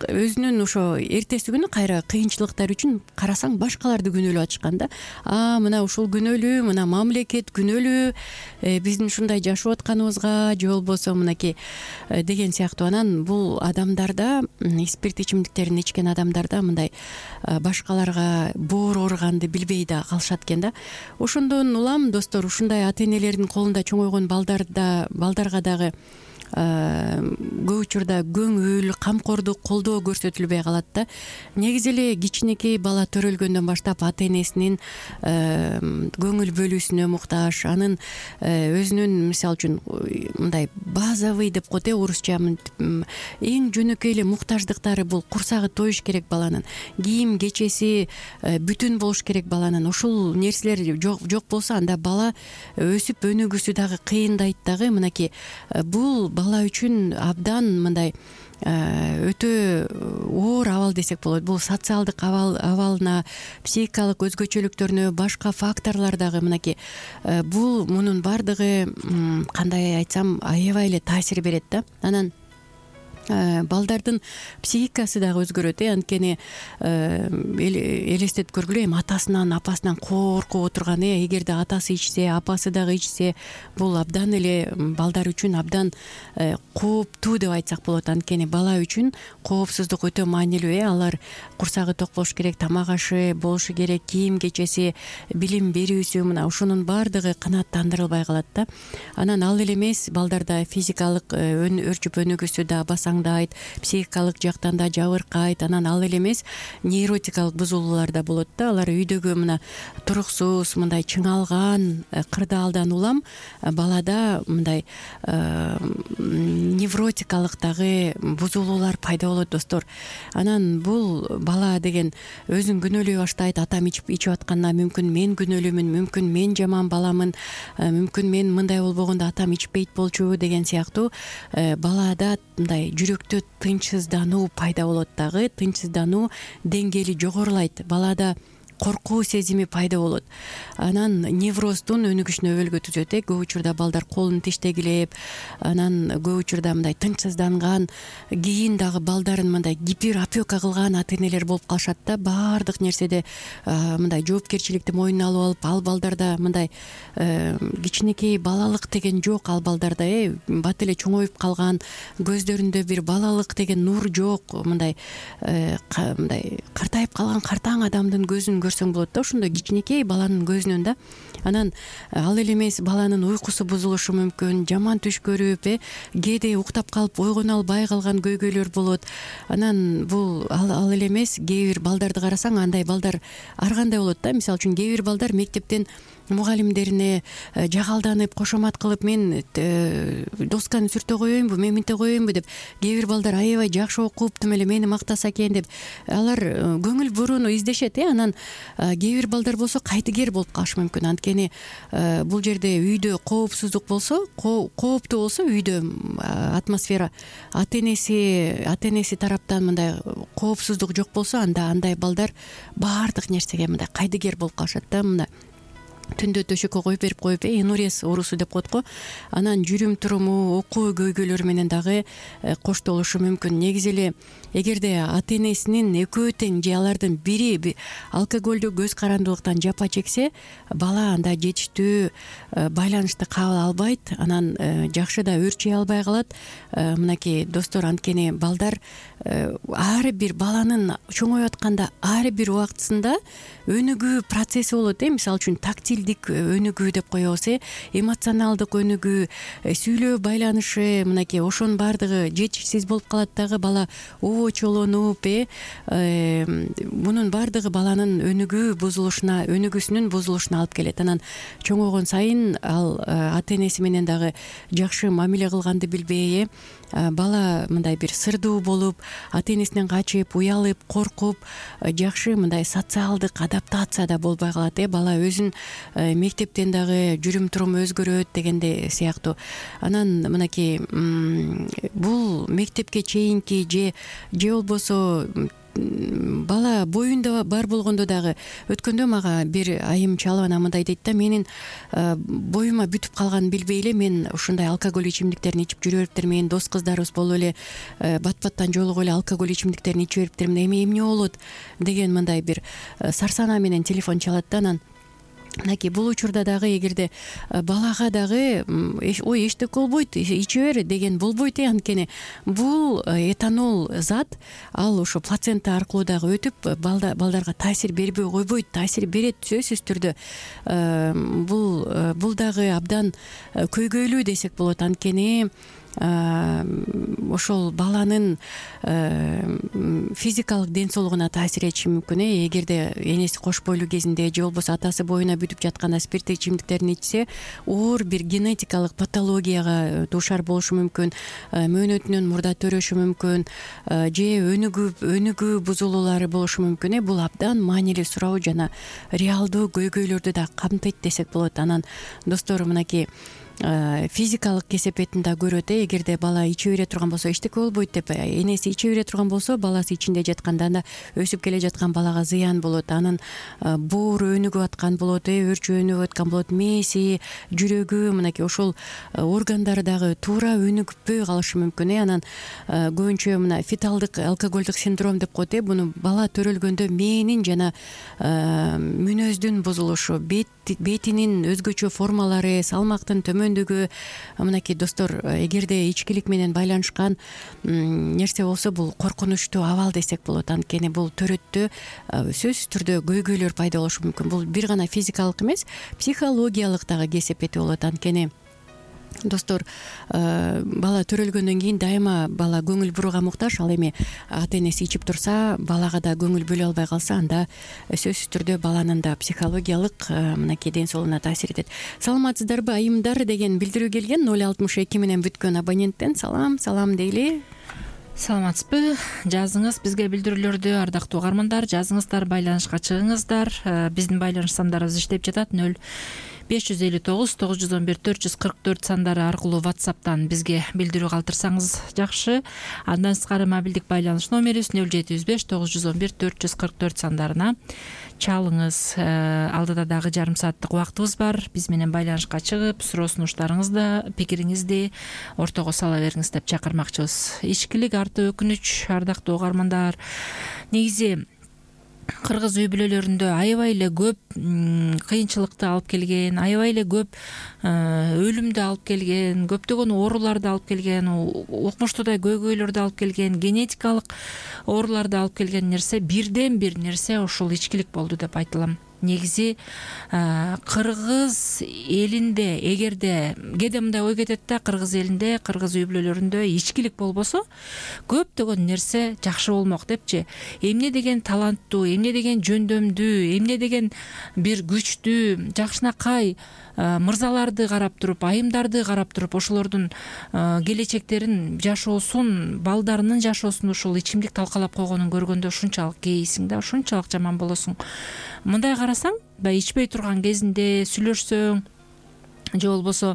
өзүнүн ошо эртеси күнү кайра кыйынчылыктар үчүн карасаң башкаларды күнөөлөп атышкан да. А мына ушул күнөөлүү, мына мамлекет күнөөлүү биздин ушундай жашап атканыбызга, же болбосо мынакей деген сыяктуу. Анан бул адамдарда, спирт ичимдиктерин ичкен адамдарда мындай башкаларга боор ооруганды билбей да калышат экен да. Ошондон улам достор, ушундай ата энелердин колунда чоңойгон балдарда балдарга дагы көп учурда көңүл, камкордук, колдоо көрсөтүлбөй калат да. Негизи эле кичинекей бала төрөлгөндөн баштап ата энесинин көңүл бөлүүсүнө муктаж, анын өзүнүн мисалы үчүн мындай базовый деп коет э, орусча эң жөнөкөй эле муктаждыктары, бул курсагы тоюш керек баланын, кийим кечеси бүтүн болуш керек баланын. Ушул нерселер жок жок болсо, анда бала өсүп өнүгүүсү дагы кыйындайт дагы. Мынакей бул бала үчүн абдан мындай өтө оор абал десек болот. Бул социалдык абал абалына, психикалык өзгөчөлүктөрүнө, башка факторлор дагы мынакей бул мунун баардыгы кандай айтсам аябай эле таасир берет да. Анан балдардын психикасы дагы өзгөрөт э анткени элестетип көргүлө, эми атасынан апасынан коркуп отурган э эгерде атасы ичсе, апасы дагы ичсе, бул абдан эле балдар үчүн абдан кооптуу деп айтсак болот. Анткени бала үчүн коопсуздук өтө маанилүү э алар курсагы ток болуш керек, тамак ашы болушу керек, кийим кечеси, билим берүүсү, мына ушунун баардыгы канааттандырылбай калат да. Анан ал эле эмес, балдарда физикалык өрчүп өнүгүүсү да басаңдайт, психикалык жактан да жабыркайт. Анан ал эле эмес, нейротикалык бузулуулар да болот да. Алар үйдөгү мына туруксуз, мындай чыңалган, кырдаалдан улам балада мындай невротикалык дагы бузулуулар пайда болот достор. Анан бул бала деген өзүн күнөөлөй баштайт. Атам ичип ичип атканда мүмкүн мен күнөөлүүмүн, мүмкүн мен жаман баламын, мүмкүн мен мындай болбогондо атам ичпейт болчу деген сыяктуу балада мындай жүрөктө тынчсыздануу пайда болот дагы. Тынчсыздануу деңгээли жогорулайт, балада коркуу сезими пайда болот. Анан невроздун өнүгүшүнө өбөлгө түзөт э көп учурда балдар колун тиштегилеп, анан көп учурда мындай тынчсызданган, кийин дагы балдарын мындай гиперопека кылган ата энелер болуп калышат да. Баардык нерседе мындай жоопкерчиликти мойнуна алып алып, ал балдарда мындай кичинекей балалык деген жок. Ал балдарда э бат эле чоңоюп калган, көздөрүндө бир балалык деген нур жок, мындай мындай картайып калган картаң адамдын көзүн көрсөң болот да, ошондой кичинекей баланын көзүнөн да. Анан ал эле эмес, баланын уйкусу бузулушу мүмкүн, жаман түш көрүп э кээде уктап калып ойгоно албай калган көйгөйлөр болот. Анан бул ал эле эмес, кээ бир балдарды карасаң, андай балдар ар кандай болот да. Мисалы үчүн кээ бир балдар мектептен мугалимдерине жагалданып, кошомат кылып, мен досканы сүртө коеюнбу, мен мынте коеюнбу деп, кээ бир балдар аябай жакшы окуп, тим эле мени мактаса экен деп, алар көңүл бурууну издешет э. Анан кээ бир балдар болсо кайтыгер болуп калышы мүмкүн. Анткени бул жерде үйдө коопсуздук болсо, кооптуу болсо үйдө атмосфера, ата энеси ата энеси тараптан мындай коопсуздук жок болсо, анда андай балдар баардык нерсеге мындай кайдыгер болуп калышат да. Мына түндө төшөккө коюп берип коюп э инурез оорусу деп коет го. Анан жүрүм туруму, окуу көйгөйлөрү менен дагы коштолушу мүмкүн. Негизи эле эгерде ата энесинин экөө тең же алардын бири алкоголдүк көз карандылыктан жапа чексе, бала анда жетиштүү байланышты кабыл албайт, анан жакшы да өрчөй албай калат. Мынакей достор, анткени балдар ар бир баланын чоңоюп атканда ар бир убактысында өнүгүү процесси болот э. Мисалы үчүн тактилдик өнүгүү деп коебуз э, эмоционалдык өнүгүү, сүйлөө байланышы, мынакей ошонун баардыгы жетишсиз болуп калат дагы. Бала оочолонуп э мунун баардыгы баланын өнүгүү бузулушуна, өнүгүүсүнүн бузулушуна алып келет. Анан чоңойгон сайын ал ата энеси менен дагы жакшы мамиле кылганды билбей э бала мындай бир сырдуу болуп, ата энесинен качып, уялып, коркуп, жакшы мындай социалдык адаптацияда болбой калат э. Бала өзүн мектептен дагы жүрүм туруму өзгөрөт дегенде сыяктуу. Анан мынакей бул мектепке чейинки же же болбосо бала боюнда бар болгондо дагы, өткөндө мага бир айым чалып анан мындай дейт да: менин боюма бүтүп калганын билбей эле мен ушундай алкоголь ичимдиктерин ичип жүрө бериптермин, дос кыздарыбыз болуп эле бат баттан жолугуп эле алкоголь ичимдиктерин ичип бериптермин, эми эмне болот деген мындай бир сарсанаа менен телефон чалат да. Анан мынакей бул учурда дагы эгерде балага дагы ой эчтеке болбойт, иче бер деген болбойт э. Анткени бул этанол зат, ал ошо плацента аркылуу дагы өтүп балдарга таасир бербей койбойт, таасир берет сөзсүз түрдө. Бул бул дагы абдан көйгөйлүү десек болот. Анткени ошол баланын физикалык ден соолугуна таасир этиши мүмкүн э. Эгерде энеси кош бойлуу кезинде же болбосо атасы боюна бүтүп жатканда спирттик ичимдиктерин ичсе, оор бир генетикалык патологияга дуушар болушу мүмкүн, мөөнөтүнөн мурда төрөшү мүмкүн, же өнүгүү өнүгүү бузулуулары болушу мүмкүн э. Бул абдан маанилүү суроо жана реалдуу көйгөйлөрдү да камтыйт десек болот. Анан достор, мынакей физикалык кесепетин да көрөт э эгерде бала иче бере турган болсо эчтеке болбойт деп, энеси иче бере турган болсо баласы ичинде жатканда анда өсүп келе жаткан балага зыян болот, анын бууру өнүгүп аткан болот, э өрчү өнүгүп аткан болот, мээси, жүрөгү, мынакей ошол органдары дагы туура өнүгүппөй калышы мүмкүн э анан көбүнчө мына феталдык алкоголдук синдром деп коет э буну бала төрөлгөндө мээнин жана мүнөздүн бузулушу, бетинин өзгөчө формалары, салмактын төмөндүгү, мынакей достор, эгерде ичкилик менен байланышкан нерсе болсо бул коркунучтуу абал десек болот. Анткени бул төрөттө сөзсүз түрдө көйгөйлөр пайда болушу мүмкүн. Бул бир гана физикалык эмес, психологиялык дагы кесепети болот. Анткени достор, бала төрөлгөндөн кийин дайыма бала көңүл бурууга муктаж. Ал эми ата энеси ичип турса, балага да көңүл бөлө албай калса, анда сөзсүз түрдө баланын да психологиялык мынакей ден соолугуна таасир этет. Саламатсыздарбы айымдар деген билдирүү келген ноль алтымыш эки менен бүткөн абоненттен. Салам, салам дейли. Саламатсызбы? Жазыңыз бизге билдирүүлөрдү, ардактуу угармандар. Жазыңыздар, байланышка чыгыңыздар. Биздин байланыш сандарыбыз иштеп жатат. ноль беш жүз элүү тогуз тогуз жүз он бир төрт жүз кырк төрт сандары аркылуу WhatsApp'тан бизге билдирүү калтырсаңыз жакшы. Андан сырткары мобилдик байланыш номерибиз ноль жети жүз беш тогуз жүз он бир төрт жүз кырк төрт сандарына чалыңыз. Алдыда дагы жарым сааттык убактыбыз бар. Биз менен байланышка чыгып, суроо сунуштарыңызды, пикириңизди ортого сала бериңиз деп чакырмакчыбыз. Ичкилик арты өкүнүч, ардактуу угармандар. Негизи кыргыз үй бүлөлөрүндө аябай эле көп кыйынчылыкты алып келген, аябай эле көп өлүмдү алып келген, көптөгөн ооруларды алып келген, укмуштуудай көйгөйлөрдү алып келген, генетикалык ооруларды алып келген нерсе, бирден бир нерсе ушул ичкилик болду деп айтылам. Негизи кыргыз элинде, эгерде кээде мындай ой кетет да, кыргыз элинде, кыргыз үй бүлөлөрүндө ичкилик болбосо көптөгөн нерсе жакшы болмок депчи. Эмне деген таланттуу, эмне деген жөндөмдүү, эмне деген бир күчтүү, жакшынакай мырзаларды карап туруп, айымдарды карап туруп, ошолордун келечектерин, жашоосун, балдарынын жашоосун ушул ичимдик талкалап койгонун көргөндө ушунчалык кейисиң да, ушунчалык жаман болосуң. Мындай карасаң, баягы ичпей турган кезинде сүйлөшсөң, же болбосо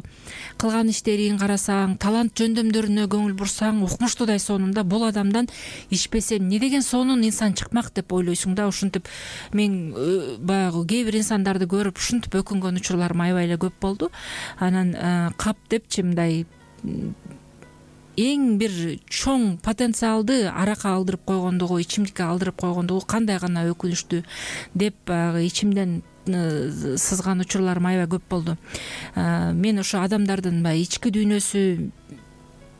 кылган иштерин карасаң, талант жөндөмдөрүнө көңүл бурсаң, укмуштуудай сонун да, бул адамдан ичпесем эмне деген сонун инсан чыкмак деп ойлойсуң да. Ушинтип мен баягы кээ бир инсандарды көрүп ушинтип өкүнгөн учурларым аябай эле көп болду. Анан кап депчи мындай эң бир чоң потенциалды аракка алдырып койгондугу, ичимдикке алдырып койгондугу кандай гана өкүнүчтүү деп баягы ичимден сызган учурларым аябай көп болду. Мен ошо адамдардын баягы ички дүйнөсү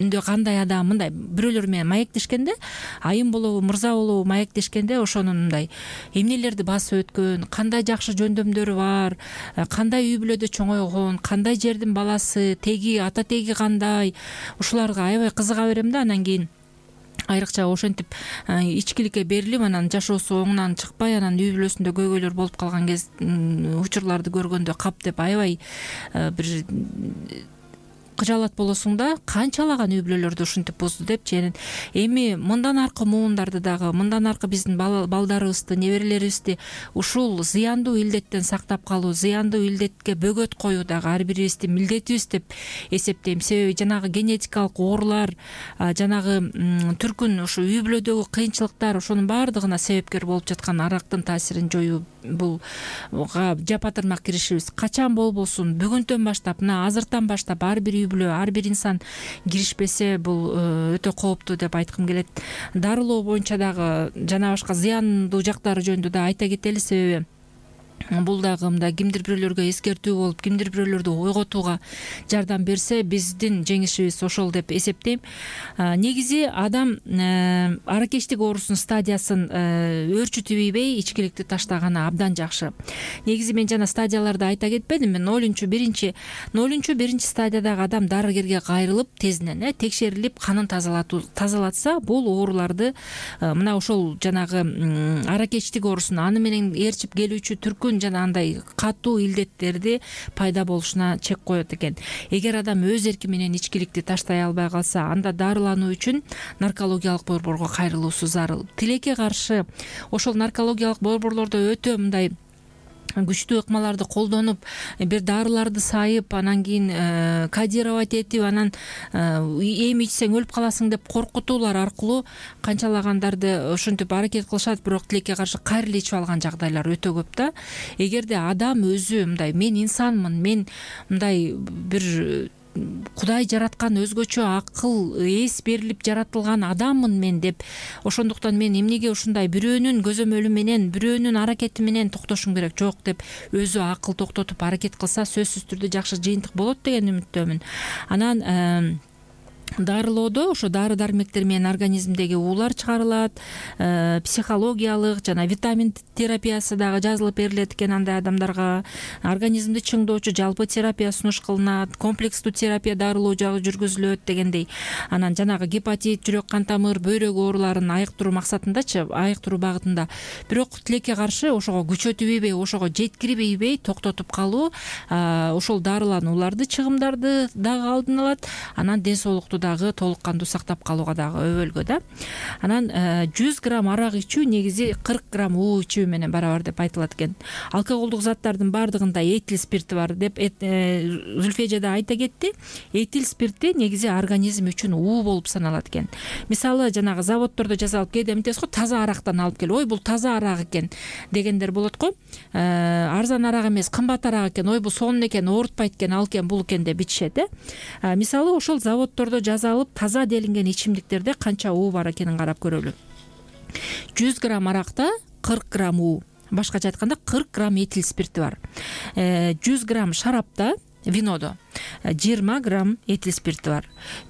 үндө кандай адам, мындай бирөөлөр менен маектешкенде, айым болобу, мырза болобу маектешкенде, ошонун мындай эмнелерди басып өткөн, кандай жакшы жөндөмдөрү бар, кандай үй бүлөдө чоңойгон, кандай жердин баласы, теги, ата теги кандай, ушуларга аябай кызыга берем да. Анан кийин айрыкча ошентип ичкиликке берилип, анан жашоосу оңунан чыкпай, анан үй бүлөсүндө көйгөйлөр болуп калган кез учурларды көргөндө кап деп аябай бир кыжаалат болосуң да, канчалаган үй бүлөлөрдү ушинтип бузду депчи. Эми мындан аркы муундарды дагы, мындан аркы биздин балдарыбызды, неберелерибизди ушул зыяндуу илдеттен сактап калуу, зыяндуу илдетке бөгөт коюу дагы ар бирибиздин милдетибиз деп эсептейм. Себеби жанагы генетикалык оорулар, жанагы түркүн ушу үй бүлөдөгү кыйынчылыктар, ошонун баардыгына себепкер болуп жаткан арактын таасирин жоюу, бул жапатырмак киришибиз качан болбосун, бүгүндөн баштап, мына азыртан баштап ар бир үй бүлө, ар бир инсан киришпесе, бул өтө кооптуу деп айткым келет. Дарылоо боюнча дагы жана башка зыяндуу жактары жөнүндө да айта кетели, себеби бул дагы мындай кимдир бирөөлөргө эскертүү болуп, кимдир бирөөлөрдү ойготууга жардам берсе, биздин жеңишибиз ошол деп эсептейм. Негизи адам аракечтик оорусунун стадиясын өөрчүтүбөй ичкиликти таштаганы абдан жакшы. Негизи мен жана стадияларды айта кетпедимби? нолунчу биринчи нолунчу биринчи стадиядагы адам дарыгерге кайрылып, тезинен э текшерилип, канын тазалатуу тазалатса, бул ооруларды мына ошол жанагы аракечтик оорусун, аны менен ээрчип келүүчү түркүн жана андай катуу илдеттерди пайда болушуна чек коет экен. Эгер адам өз эрки менен ичкиликти таштай албай калса, анда дарылануу үчүн наркологиялык борборго кайрылуусу зарыл. Тилекке каршы ошол наркологиялык борборлордо өтө мындай күчтүү ыкмаларды колдонуп бир дарыларды сайып анан кийин кодировать этип анан эми ичсең өлүп каласың деп коркутуулар аркылуу канчалагандарды ушинтип аракет кылышат, бирок тилекке каршы кайрылып ичип алган жагдайлар өтө көп да. Эгерде адам өзү мындай мен инсанмын, мен мындай бир Кудай жараткан өзгөчө акыл эс берилип жаратылган адаммын мен деп, ошондуктан мен эмнеге ушундай бирөөнүн көзөмөлү менен, бирөөнүн аракети менен токтошум керек, жок деп өзү акыл токтотуп аракет кылса сөзсүз түрдө жакшы жыйынтык болот деген үмүттөмүн. Анан дарылоодо ошо дары дармектер менен организмдеги уулар чыгарылат, психологиялык жана витамин терапиясы дагы жазылып берилет экен андай адамдарга. Организмди чыңдоочу жалпы терапия сунуш кылынат, комплекстүү терапия дарылоо жагы жүргүзүлөт дегендей. Анан жанагы гепатит, жүрөк кан тамыр, бөйрөк ооруларын айыктыруу максатындачы, айыктыруу багытында. Бирок тилекке каршы ошого күчөтүп, ошого жеткирбей токтотуп калуу ошол дарыланууларды, чыгымдарды дагы алдын алат. Анан ден соолукту дагы толук кандуу сактап калууга дагы өбөлгө да. Анан жүз грамм арак ичүү негизи кырк грамм уу ичүү менен барабар деп айтылат экен. Алкоголдук заттардын бардыгында этил спирти бар деп Зүлфия жада айта кетти. Этил спирти негизи организм үчүн уу болуп саналат экен. Мисалы жанагы заводдордо жасалып кээде эмтебиз го, таза арактан алып келип, ой бул таза арак экен дегендер болот го. Арзан арак эмес, кымбат арак экен, ой бул сонун экен, оорутпайт экен, ал экен, бул экен деп ичишет э. Мисалы ошол заводдордо жазалып таза делинген ичимдиктерде канча уу бар экенин карап көрөлү. жүз грамм аракта кырк грамм уу, башкача айтканда кырк грамм этил спирти бар. жүз грамм шарапта, винодо жыйырма грамм этил спирти бар.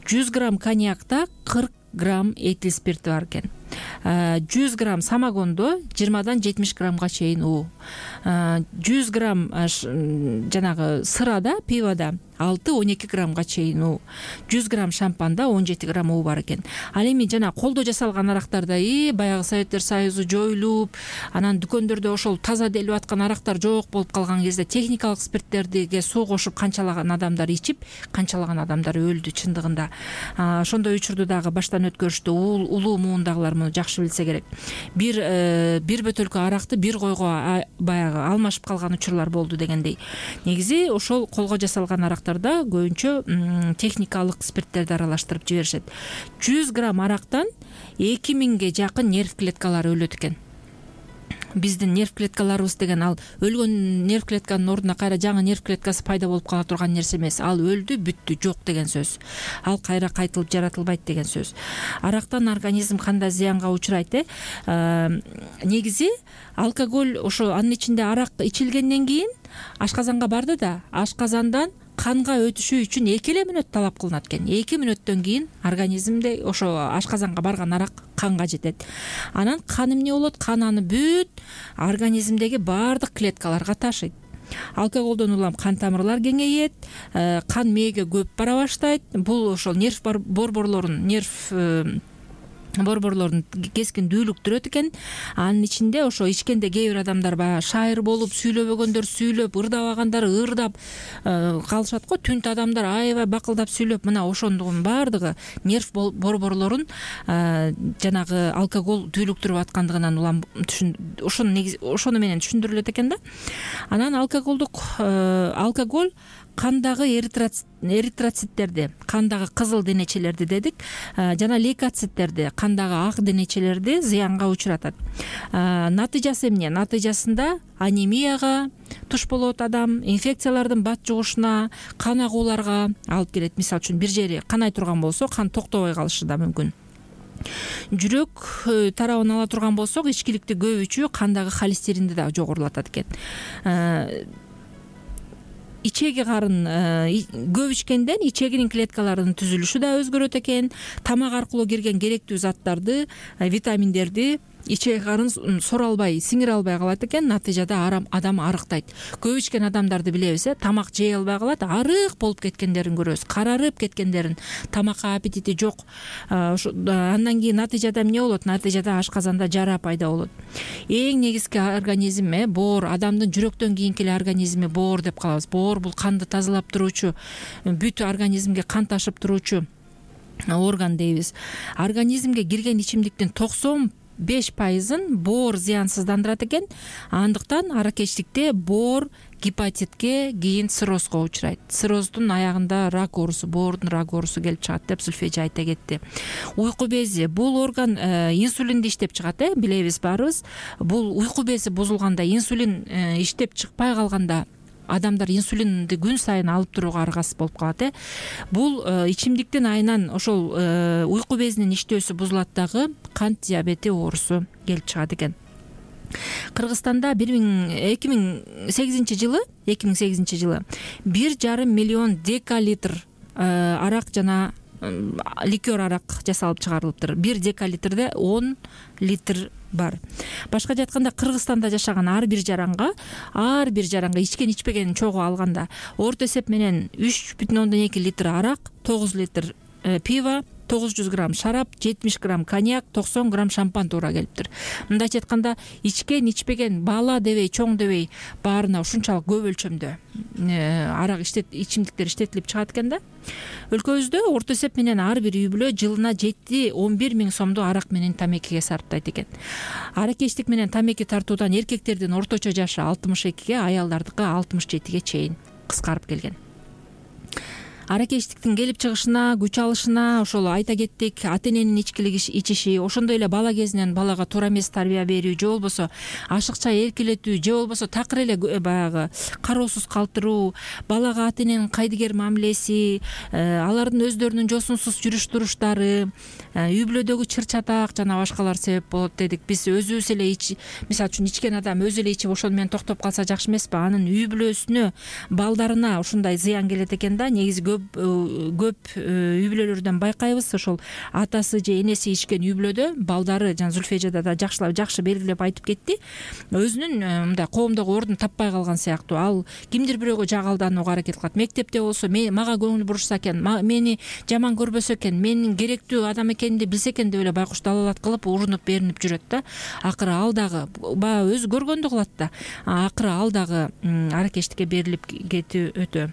жүз грамм коньякта кырк грамм этил спирти бар экен. жүз грамм самогондо жыйырмадан жетимиш граммга чейин уу. жүз грамм жанагы сырада, пивода алты он эки граммга чейин уу. жүз грамм шампанда он жети грамм уу бар экен. Ал эми жана колдо жасалган арактарда и баягы Советтер Союзу жоюлуп, анан дүкөндөрдө ошол таза делип аткан арактар жок болуп калган кезде техникалык спирттерге суу кошуп канчалаган адамдар ичип, канчалаган адамдар өлдү чындыгында. Ошондой учурду дагы баштан өткөрүштү. Улуу муундагылар муну жакшы билсе керек. Бир бир бөтөлкө аракты бир койго баягы алмашып калган учурлар болду дегендей. Негизи ошол колго жасалган арактарда көбүнчө техникалык спирттерди аралаштырып жиберишет. жүз грамм арактан эки миңге жакын нерв клеткалары өлөт экен. Биздин нерв клеткаларыбыз деген ал өлгөн нерв клетканын ордуна кайра жаңы нерв клеткасы пайда болуп кала турган нерсе эмес. Ал өлдү, бүттү, жок деген сөз. Ал кайра кайтылып жаратылбайт деген сөз. Арактан организм кандай зыянга учурайт э? Негизи алкоголь ошо анын ичинде арак ичилгенден кийин ашказанга барды да, ашказандан канга өтүшү үчүн эки эле мүнөт талап кылынат экен. эки мүнөттөн кийин организмде ошо ашказанга барган арак канга жетет. Анан кан эмне болот? Кан аны бүт организмдеги баардык клеткаларга ташыйт. Алкоголдон улам кан тамырлар кеңейет, кан мээге көп бара баштайт. Бул ошол нерв борборлорун, нерв борборлорун кескин дүүлүктүрөт экен. Анын ичинде ошо ичкенде кээ бир адамдар баягы шайыр болуп, сүйлөбөгөндөр сүйлөп, ырдабагандар ырдап калышат го. Түнт адамдар аябай бакылдап сүйлөп, мына ошондугун баардыгы нерв борборлорун жанагы алкоголь дүүлүктүрүп аткандыгынан улам ошону негизи ошону менен түшүндүрүлөт экен да. Анан алкоголдук алкоголь кандагы эритроциттерди, кандагы кызыл денечелерди дедик, жана лейкоциттерди, кандагы ак денечелерди зыянга учуратат. Натыйжасы эмне? Натыйжасында анемияга туш болот адам, инфекциялардын бат жугушуна, кан агууларга алып келет. Мисалы үчүн бир жери канай турган болсо, кан токтобой калышы да мүмкүн. Жүрөк тарабын ала турган болсок, ичкиликти көп ичүү кандагы холестеринди да жогорулатат экен. Ичеги карын көп ичкенден ичегинин клеткаларынын түзүлүшү да өзгөрөт экен. Тамак аркылуу кирген керектүү заттарды, витаминдерди ичеги карын сора албай, сиңире албай калат экен. Натыйжада адам арыктайт. Көп ичкен адамдарды билебиз, э, тамак жей албай калат, арык болуп кеткендерин көрөбүз, карарып кеткендерин, тамакка аппетити жок. Андан кийин натыйжада эмне болот? Натыйжада ашказанда жара пайда болот. Эң негизги организм э боор, адамдын жүрөктөн кийинки эле организми боор деп калабыз. Боор бул канды тазалап туруучу, бүт организмге кан ташып туруучу орган дейбиз. Организмге кирген ичимдиктин токсон беш пайызын боор зыянсыздандырат экен. Андыктан аракечтикте боор гепатитке, кийин циррозго учурайт. Цирроздун аягында рак оорусу, боордун рак оорусу келип чыгат деп Зульфия айта кетти. Уйку бези бул орган инсулинди иштеп чыгат, э билебиз баарыбыз. Бул уйку бези бузулганда, инсулин иштеп чыкпай калганда адамдар инсулинди күн сайын алып турууга аргасыз болуп калат, э бул ичимдиктин айынан ошол уйку безинин иштөөсү бузулат дагы, кант диабети оорусу келип чыгат экен. Кыргызстанда эки миң сегизинчи жылы эки миң сегизинчи жылы бир жарым миллион декалитр арак жана ликер арак жасалып чыгарылыптыр. Бир декалитрде он литр бар. Башка жатканда Кыргызстанда жашаган ар бир жаранга, ар бир жаранга ичкен ичпегенин чогуу алганда орто эсеп менен үч бүтүн ондон эки литр арак, тогуз литр пиво, тогуз жүз грамм шарап, жетимиш грамм коньяк, токсон грамм шампан туура келиптир. Мындайча айтканда, ичкен ичпеген, бала дебей, чоң дебей баарына ушунчалык көп өлчөмдө арак иштет ичимдиктер иштетилип чыгат экен да. Өлкөбүздө орто эсеп менен ар бир үй бүлө жылына жети он бир миң сомду арак менен тамекиге сарптайт экен. Аракечтик менен тамеки тартуудан эркектердин орточо жашы алтымыш экиге, аялдардыкы алтымыш жетиге чейин кыскарып келген. Аракечтиктин келип чыгышына, күч алышына ошол айта кеттик, ата эненин ичкилик ичиши, ошондой эле бала кезинен балага туура эмес тарбия берүү, же болбосо ашыкча эркелетүү, же болбосо такыр эле баягы кароосуз калтыруу, балага ата эненин кайдыгер мамилеси, алардын өздөрүнүн жосунсуз жүрүш туруштары, үй бүлөдөгү чыр чатак жана башкалар себеп болот дедик. Биз өзүбүз эле мисалы үчүн ичкен адам өзү эле ичип ошону менен токтоп калса жакшы эмеспи? Анын үй бүлөсүнө, балдарына ушундай зыян келет экен да. Негизи көп үй бүлөлөрдөн байкайбыз, ошол атасы же энеси ичкен үй бүлөдө балдары, жана Зульфия да жакшылап жакшы белгилеп айтып кетти, өзүнүн мындай коомдогу ордун таппай калган сыяктуу. Ал кимдир бирөөгө жагалданууга аракет кылат. Мектепте болсо мага көңүл бурушса экен, мени жаман көрбөсө экен, менин керектүү адам экенимди билсе экен деп эле байкуш далалат кылып урунуп беринип жүрөт да. Акыры ал дагы баягы өзү көргөндү кылат да. Акыры ал дагы аракечтикке берилип кетүү өтө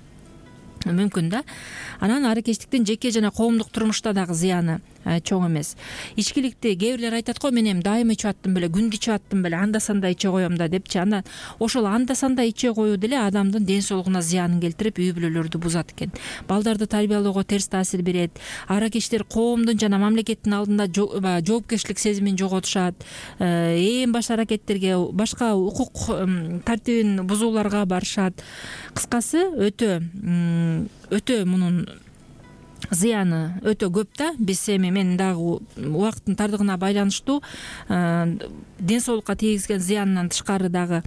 мүмкүн да. Анан аракечтиктин жеке жана коомдук турмушта дагы зыяны чоң эмес. Ичкиликти кээ бирлер айтат го, мен эми дайыма ичип аттым беле, күндү ичип аттым беле, анда санда иче коем да депчи. Андан ошол анда санда иче коюу деле адамдын ден соолугуна зыянын келтирип, үй бүлөлөрдү бузат экен. Балдарды тарбиялоого терс таасир берет. Аракечтер коомдун жана мамлекеттин алдында жоопкерчилик сезимин жоготушат. Ээн баш аракеттерге, башка укук тартибин бузууларга барышат. Кыскасы өтө өтө мунун зыяны өтө көп да. Биз эми мен дагы убакыттын тардыгына байланыштуу ден соолукка тийгизген зыянынан тышкары дагы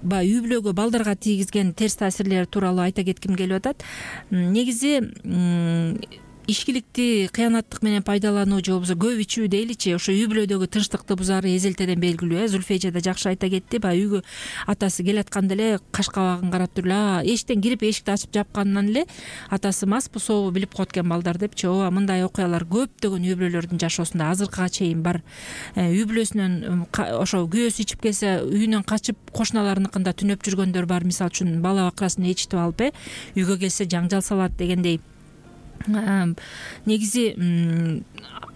баягы үй бүлөгө, балдарга тийгизген терс таасирлери тууралуу айта кетким келип атат. Негизи ичкиликти кыянаттык менен пайдалануу же болбосо көп ичүү дейличи, ошо үй бүлөдөгү тынчтыкты бузары эзелтеден белгилүү. э Зульфия да жакшы айта кетти. Баягы үйгө атасы келатканда эле каш кабагын карап туруп эле, эшиктен кирип эшикти ачып жапканынан эле атасы маспы, сообу билип коет экен балдар депчи. Ооба, мындай окуялар көптөгөн үй бүлөлөрдүн жашоосунда азыркыга чейин бар. Үй бүлөсүнөн ошо күйөөсү ичип келсе, үйүнөн качып кошуналарыныкында түнөп жүргөндөр бар. Мисалы үчүн бала бакрасын ичитип алып, э үйгө келсе жаңжал салат дегендей. Негизи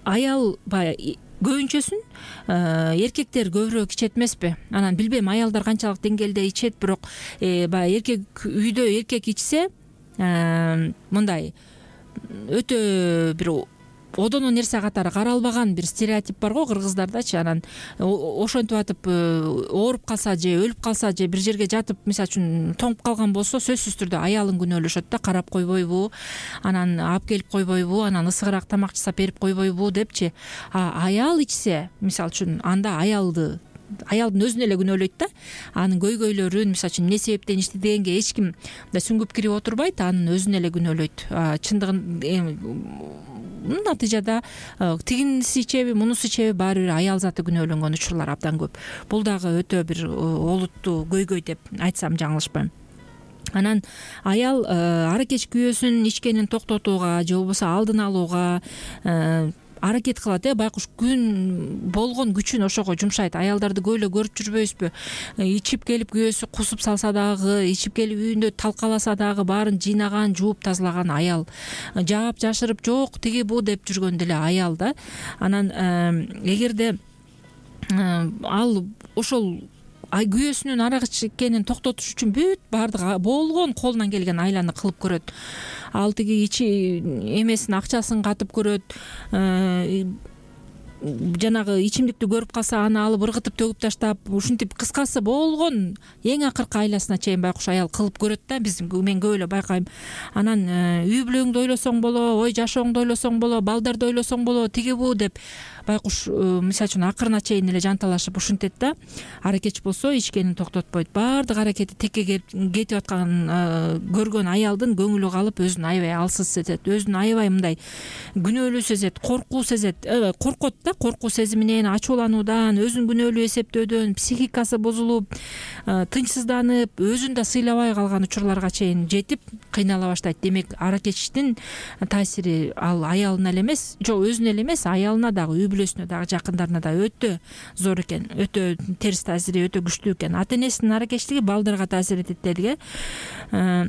аял баягы көбүнчөсүн эркектер көбүрөөк ичет эмеспи? Анан билбейм аялдар канчалык деңгээлде ичет, бирок баягы эркек үйдө эркек ичсе мындай өтө бир одоно нерсе катары каралбаган бир стереотип бар го кыргыздардачы. Анан ошентип атып ооруп калса же өлүп калса же бир жерге жатып мисалы үчүн тоңуп калган болсо, сөзсүз түрдө аялын күнөөлөшөт да. Карап койбойбу, анан алып келип койбойбу, анан ысыгыраак тамак жасап берип койбойбу депчи. А аял ичсе, мисалы үчүн, анда аялды аялдын өзүн эле күнөөлөйт да. Анын көйгөйлөрүн, мисалы үчүн, эмне себептен ичти дегенге эч ким мындай сүңгүп кирип отурбайт, анын өзүн эле күнөөлөйт. Чындыгын натыйжада тигинси ичеби, мунусу ичеби, баары бир аял заты күнөөлөнгөн учурлар абдан көп. Бул дагы өтө бир олуттуу көйгөй деп айтсам жаңылышпайм. Анан аял аракеч күйөөсүн ичкенин токтотууга же болбосо алдын алууга аракет кылат э байкуш күн болгон күчүн ошого жумшайт. Аялдарды көп эле көрүп жүрбөйбүзбү? Ичип келип күйөөсү кусуп салса дагы, ичип келип үйүндө талкаласа дагы баарын жыйнаган, жууп тазалаган аял, жаап жашырып жок тиги бу деп жүргөн деле аял да. Анан эгерде ал ошол күйөөсүнүн арак ичкенин токтотуш үчүн бүт баардык болгон колунан келген айланы кылып көрөт. Ал тиги ичи эмесин акчасын катып көрөт, жанагы ичимдикти көрүп калса аны алып ыргытып төгүп таштап, ушинтип кыскасы болгон эң акыркы айласына чейин байкуш аял кылып көрөт да. Биз мен көп эле байкайм. Анан үй бүлөңдү ойлосоң боло, ой жашооңду ойлосоң боло, балдарды ойлосоң боло, тиги бу деп байкуш мисалы үчүн акырына чейин эле жанталашып ушинтет да. Аракетчи болсо ичкенин токтотпойт. Баардык аракети текке кетип атканын көргөн аялдын көңүлү калып, өзүн аябай алсыз сезет, өзүн аябай мындай күнөөлүү сезет, коркуу сезет, коркот да, коркуу сезиминен, ачуулануудан, өзүн күнөөлүү эсептөөдөн, психикасы бузулуп, тынчсызданып, өзүн да сыйлабай калган учурларга чейин жетип кыйнала баштайт. Демек аракетчтин таасири ал аялына эле эмес, жок өзүнө эле эмес, аялына дагы, үй бүлөсүнө дагы, жакындарына да өтө зор экен, өтө терс таасири өтө күчтүү экен. Ата энесинин аракетчилиги балдарга таасир этет дедик э.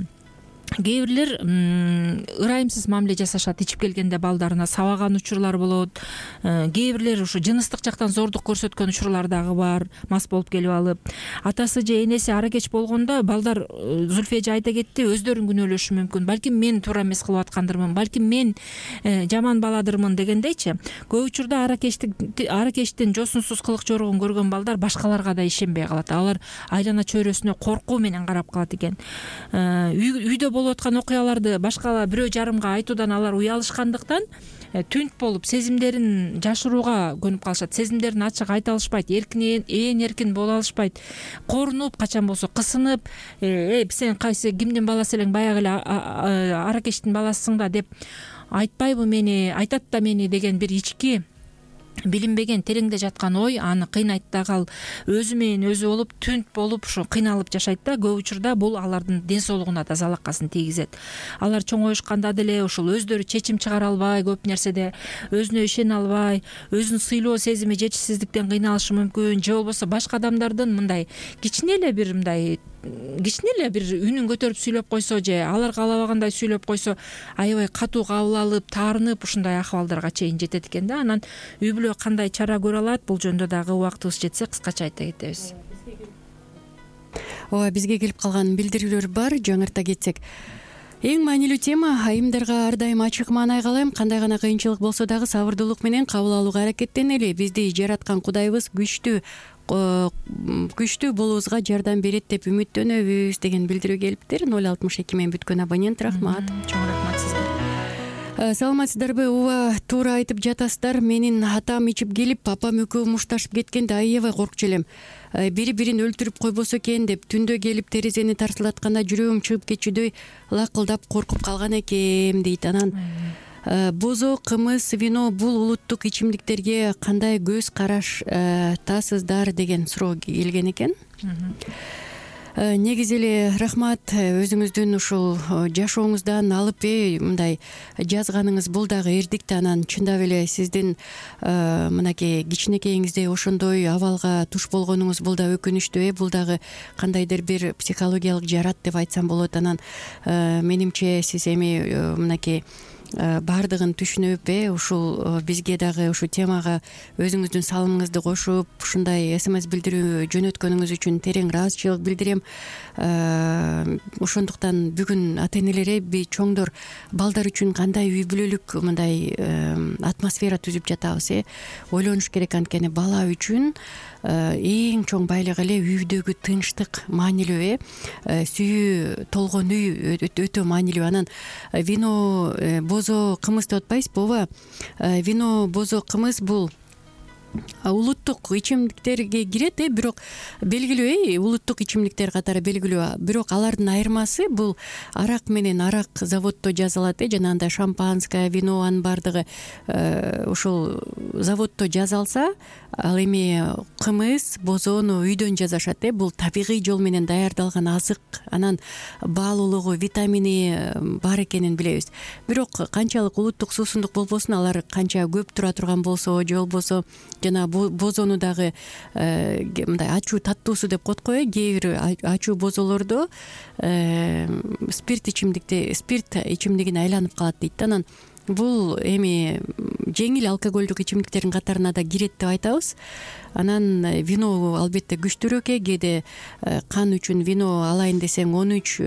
Кээ бирлер ырайымсыз мамиле жасашат, ичип келгенде балдарына сабаган учурлар болот. Кээ бирлер ушу жыныстык жактан зордук көрсөткөн учурлар дагы бар, мас болуп келип алып. Атасы же энеси аракетч болгондо балдар, Зульфия же айта кетти, өздөрүн күнөөлөшү мүмкүн. Балким мен туура эмес кылып аткандырмын, балким мен жаман баладырмын дегендейчи. Көп учурда аракетчтин жосунсуз кылык жорогун көргөн балдар башкаларга да ишенбей калат. Алар айлана чөйрөсүнө коркуу менен карап калат экен. Үйдө болуп аткан окуяларды башка бирөө жарымга айтуудан алар уялышкандыктан түнт болуп сезимдерин жашырууга көнүп калышат. Сезимдерин ачык айта алышпайт, эркин ээн эркин боло алышпайт. Корунуп, качан болсо кысынып, э сен кайсы кимдин баласы элең, баягы эле аракетчтин баласысың да деп айтпайбы мени, айтат да мени деген бир ички билинбеген тереңде жаткан ой аны кыйнайт дагы. Ал өзү менен өзү болуп, түнт болуп, ушу кыйналып жашайт да. Көп учурда бул алардын ден соолугуна да залакасын тийгизет. Алар чоңоюшканда деле ушул өздөрү чечим чыгара албай, көп нерседе өзүнө ишене албай, өзүн сыйлоо сезими жетишсиздиктен кыйналышы мүмкүн, же болбосо башка адамдардын мындай кичине эле бир мындай кичине эле бир үнүн көтөрүп сүйлөп койсо, же алар каалабагандай сүйлөп койсо аябай катуу кабыл алып, таарынып, ушундай акыбалдарга чейин жетет экен да. Анан үй бүлө кандай чара көрө алат, бул жөнүндө дагы убактыбыз жетсе кыскача айта кетебиз. Ооба, бизге келип калган билдирүүлөр бар, жаңырта кетсек. Эң маанилүү тема, айымдарга ар дайым ачык маанай калайм, кандай гана кыйынчылык болсо дагы сабырдуулук менен кабыл алууга аракеттенели. Бизди жараткан Кудайыбыз күчтүү күчтүү болуубузга жардам берет деп үмүттөнөбүз деген билдирүү келиптир. ноль алтымыш эки мен бүткөн абонент, рахмат. Чоң рахмат сизге. Саламатсыздарбы? Ооба, туура айтып жатасыздар. Менин атам ичип келип, папам экөө мушташып кеткенде аябай коркчу элем. Бири бирин өлтүрүп койбосо экен деп түндө келип терезени тарсылатканда жүрөгүм чыгып кетчүдөй лакылдап коркуп калган экем дейт. Анан бозо, кымыз, вино бул улуттук ичимдиктерге кандай көз караш тасыздар деген суроо келген экен. Негизи эле рахмат өзүңүздүн ушул жашооңуздан алып мындай жазганыңыз, бул дагы эрдик да. Анан чындап эле сиздин мынакей кичинекейиңизде ошондой абалга туш болгонуңуз бул да өкүнүчтүү э. Бул дагы кандайдыр бир психологиялык жарат деп айтсам болот. Анан менимче сиз эми мынакей баардыгын түшүнүп э ушул бизге дагы ушул темага өзүңүздүн салымыңызды кошуп ушундай смс билдирүү жөнөткөнүңүз үчүн терең ыраазычылык билдирем. Ошондуктан бүгүн ата энелер, чоңдор балдар үчүн кандай үй бүлөлүк мындай атмосфера түзүп жатабыз э ойлонуш керек. Анткени бала үчүн эң чоң байлык эле үйдөгү тынчтык маанилүү э сүйүү толгон үй өтө маанилүү. Анан вино, бозо, кымыз деп атпайсызбы? Ооба, вино, бозо, кымыз бул улуттук ичимдиктерге кирет, э бирок белгилүү, э улуттук ичимдиктер катары белгилүү, бирок алардын айырмасы бул арак менен арак заводдо жасалат, э жанагындай шампанское, вино, анын баардыгы ушул заводдо жасалса, ал эми кымыз, бозону үйдөн жасашат, э бул табигый жол менен даярдалган азык, анан баалуулугу, витамини бар экенин билебиз. Бирок канчалык улуттук суусундук болбосун, алар канча көп тура турган болсо же болбосо жана бозону дагы мындай ачуу таттуусу деп коет го, э кээ бир ачуу бозолордо спирт ичимдикти спирт ичимдигине айланып калат дейт да. Анан бул эми жеңил алкоголдук ичимдиктердин катарына да кирет деп айтабыз. Анан вино албетте күчтүүрөөк, э кээде кан үчүн вино алайын десең он үч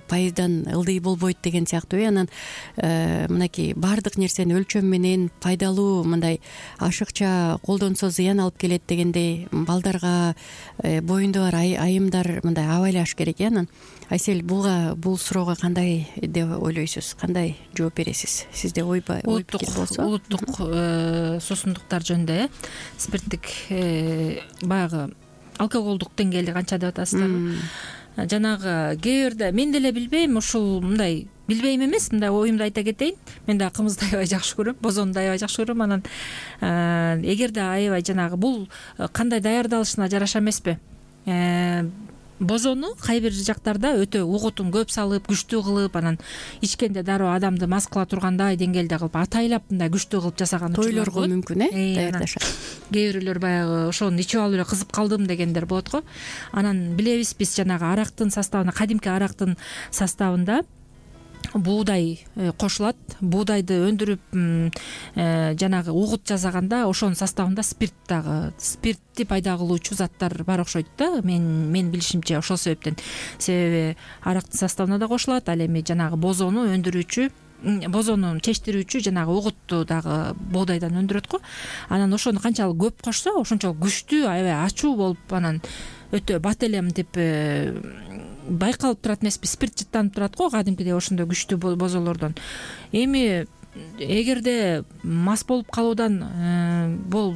пайыздан ылдый болбойт деген сыяктуу. Анан мынакей баардык нерсени өлчөм менен пайдалуу мындай ашыкча колдонсо зыян алып келет дегендей балдарга боюнда бар айымдар мындай абайлаш керек. Анан Айсель, буга бул суроого кандай деп ойлойсуз, кандай жооп бересиз? Сизде ой пикир болсо? Улуттук суусундуктар жөнүндө, э спирттик баягы алкоголдук деңгээли канча деп атасыздарбы? Жанагы кээ бирде мен деле билбейм, ушул мындай билбейм эмес, мындай оюмду айта кетейин. Мен да кымызды аябай жакшы көрөм, бозону да аябай жакшы көрөм. Анан эгерде аябай жанагы бул кандай даярдалышына жараша эмеспи? Бозону кай бир жактарда өтө угутун көп салып, күчтүү кылып, анан ичкенде дароо адамды мас кыла тургандай деңгээлде кылып, атайлап мындай күчтүү кылып жасаган учурлар тойлорго мүмкүн, э даярдашат. Кээ бирлер баягы ошону ичип алып эле кызып калдым дегендер болот го. Анан билебиз биз жанагы арактын составына, кадимки арактын составында буудай кошулат. Буудайды өндүрүп жанагы угут жасаганда ошонун составында спирт дагы, спиртти пайда кылуучу заттар бар окшойт да. Мен мен билишимче ошол себептен. Себеби арактын составына да кошулат, ал эми жанагы бозону өндүрүүчү, бозону чечтирүүчү жанагы угутту дагы буудайдан өндүрөт го. Анан ошону канчалык көп кошсо, ошончолук күчтүү, аябай ачуу болуп, анан өтө бат элем деп байкалып турат эмеспи, спирт жыттанып турат го кадимкидей ошондой күчтүү бозолордон. Эми эгерде мас болуп калуудан бул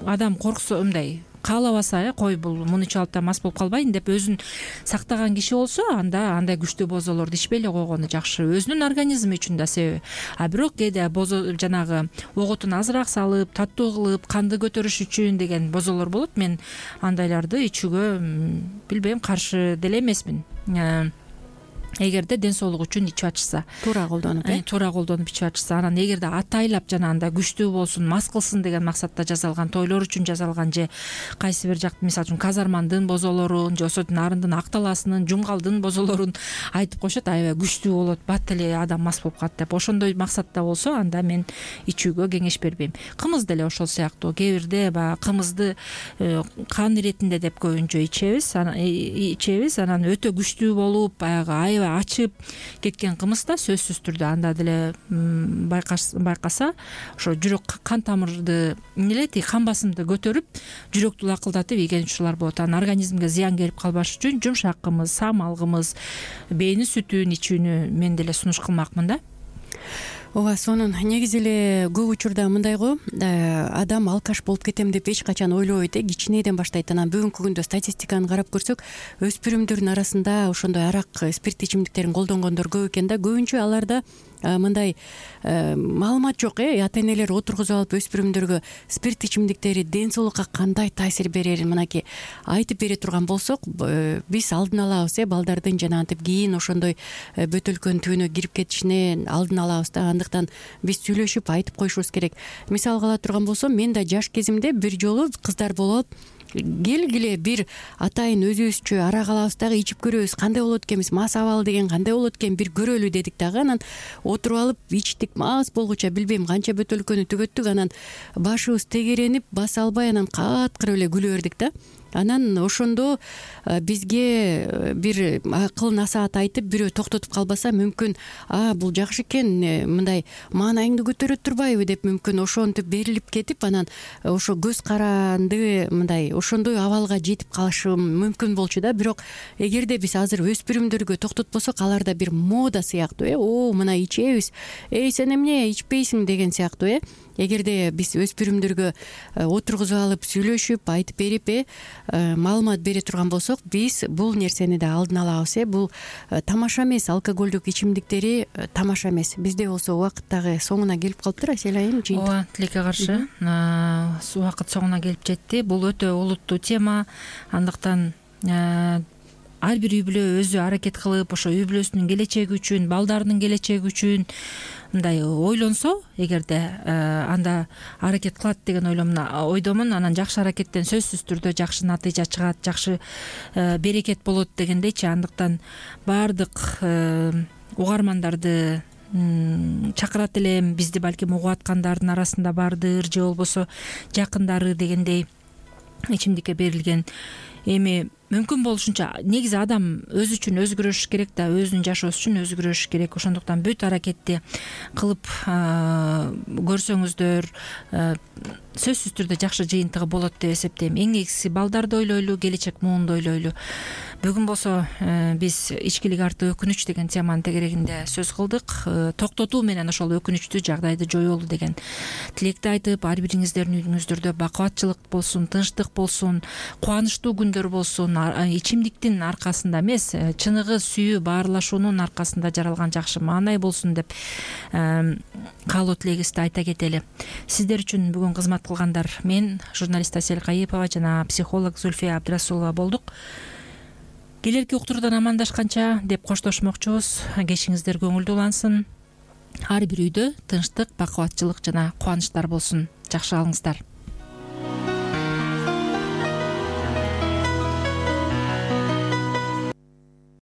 адам корксо, мындай каалабаса, э кой бул муну ичип алып да мас болуп калбайын деп өзүн сактаган киши болсо, анда андай күчтүү бозолорду ичпей эле койгону жакшы, өзүнүн организми үчүн да себеби. А бирок кээде бозо жанагы угутун азыраак салып, таттуу кылып, канды көтөрүш үчүн деген бозолор болот. Мен андайларды ичүүгө билбейм, каршы деле эмесмин. Эгерде ден соолук үчүн ичип атышса, туура колдонуп, э туура колдонуп ичип атышса. Анан эгерде атайлап жанагындай күчтүү болсун, мас кылсын деген максатта жасалган, тойлор үчүн жасалган, же кайсы бир жакты, мисалы үчүн Казармандын бозолорун, же Осот Нарындын, Акталасынын, Жумгалдын бозолорун айтып коюшат, аябай күчтүү болот, бат эле адам мас болуп калат деп. Ошондой максатта болсо, анда мен ичүүгө кеңеш бербейм. Кымыз деле ошол сыяктуу. Кээ бирде баягы кымызды кан иретинде деп көбүнчө ичебиз, ичебиз, анан өтө күчтүү болуп, баягы ачып кеткен кымыз да сөзсүз түрдө анда деле байкаса, ошо жүрөк кан тамырды эмне тиги кан басымды көтөрүп, жүрөктү лакылдатып ийген учурлар болот. Анан организмге зыян келип калбаш үчүн жумшак кымыз, самал кымыз, бээни сүтүн ичүүнү мен деле сунуш кылмакмын да. Ооба, сонун негизи эле көп учурда мындай го, адам алкаш болуп кетем деп эч качан ойлобойт, э кичинеден баштайт. Анан бүгүнкү күндө статистиканы карап көрсөк, өспүрүмдөрдүн арасында ошондой арак, спирт ичимдиктерин колдонгондор көп экен да. Көбүнчө аларда мындай маалымат жок, э ата энелер отургузуп алып өспүрүмдөргө спирт ичимдиктери ден соолукка кандай таасир берерин мынакей айтып бере турган болсок, биз алдын алабыз, э балдардын жанагынтип кийин ошондой бөтөлкөнүн түбүнө кирип кетишине алдын алабыз да. Андыктан биз сүйлөшүп айтып коюшубуз керек. Мисалга ала турган болсом, мен да жаш кезимде бир жолу кыздар болуп келгиле бир атайын өзүбүзчө арак алабыз дагы ичип көрөбүз, кандай болот экенбиз, мас абалы деген кандай болот экен, бир көрөлү дедик дагы. Анан отуруп алып ичтик, мас болгуча билбейм канча бөтөлкөнү түгөттүк. Анан башыбыз тегеренип баса албай, анан каткырып эле күлө бердик да. Анан ошондо бизге бир акыл насаат айтып, бирөө токтотуп калбаса, мүмкүн а бул жакшы экен, мындай маанайыңды көтөрө турбайбы деп мүмкүн ошентип берилип кетип, анан ошо көз каранды мындай ошондой абалга жетип калышым мүмкүн болчу да. Бирок эгерде биз азыр өспүрүмдөргө токтотпосок, аларда бир мода сыяктуу, э о мына ичебиз, эй сен эмне ичпейсиң деген сыяктуу, э эгерде биз өспүрүмдөргө отургузуп алып сүйлөшүп айтып берип э маалымат бере турган болсок, биз бул нерсени да алдын алабыз. э Бул тамаша эмес, алкоголдук ичимдиктери тамаша эмес. Бизде болсо убакыт дагы соңуна келип калыптыр, Асель айым. ооба, тилекке каршы убакыт соңуна келип жетти. Бул өтө олуттуу тема. Андыктан ар бир үй бүлө өзү аракет кылып, ошо үй бүлөсүнүн келечеги үчүн, балдарынын келечеги үчүн мындай ойлонсо, эгерде анда аракет кылат деген ойдомун, анан жакшы аракеттен сөзсүз түрдө жакшы натыйжа чыгат, жакшы берекет болот дегендейчи. Андыктан баардык угармандарды чакырат элем. Бизди балким угуп аткандардын арасында бардыр, же болбосо жакындары дегендей ичимдикке берилген. Эми мүмкүн болушунча негизи адам өзү үчүн өзү күрөшүш керек да, өзүнүн жашоосу үчүн өзү күрөшүш керек. Ошондуктан бүт аракетти кылып көрсөңүздөр сөзсүз түрдө жакшы жыйынтыгы болот деп эсептейм. Эң негизгиси балдарды ойлойлу, келечек муунду ойлойлу. Бүгүн болсо биз ичкилик арты өкүнүч деген теманын тегерегинде сөз кылдык. Токтотуу менен ошол өкүнүчтүү жагдайды жоюлу деген тилекти айтып, ар бириңиздердин үйүңүздөрдө бакубатчылык болсун, тынчтык болсун, кубанычтуу күндөр болсун. Ичимдиктин аркасында эмес, чыныгы сүйүү, баарлашуунун аркасында жаралган жакшы маанай болсун деп каалоо тилегибизди айта кетели. Сиздер үчүн бүгүн кызмат кылгандар мен, журналист Асель Кайыпова жана психолог Зульфия Абдрасулова болдук. Келерки уктуруудан амандашканча деп коштошмокчубуз. Кечиңиздер көңүлдүү улансын. Ар бир үйдө тынчтык, бакубатчылык жана кубанычтар болсун. Жакшы калыңыздар.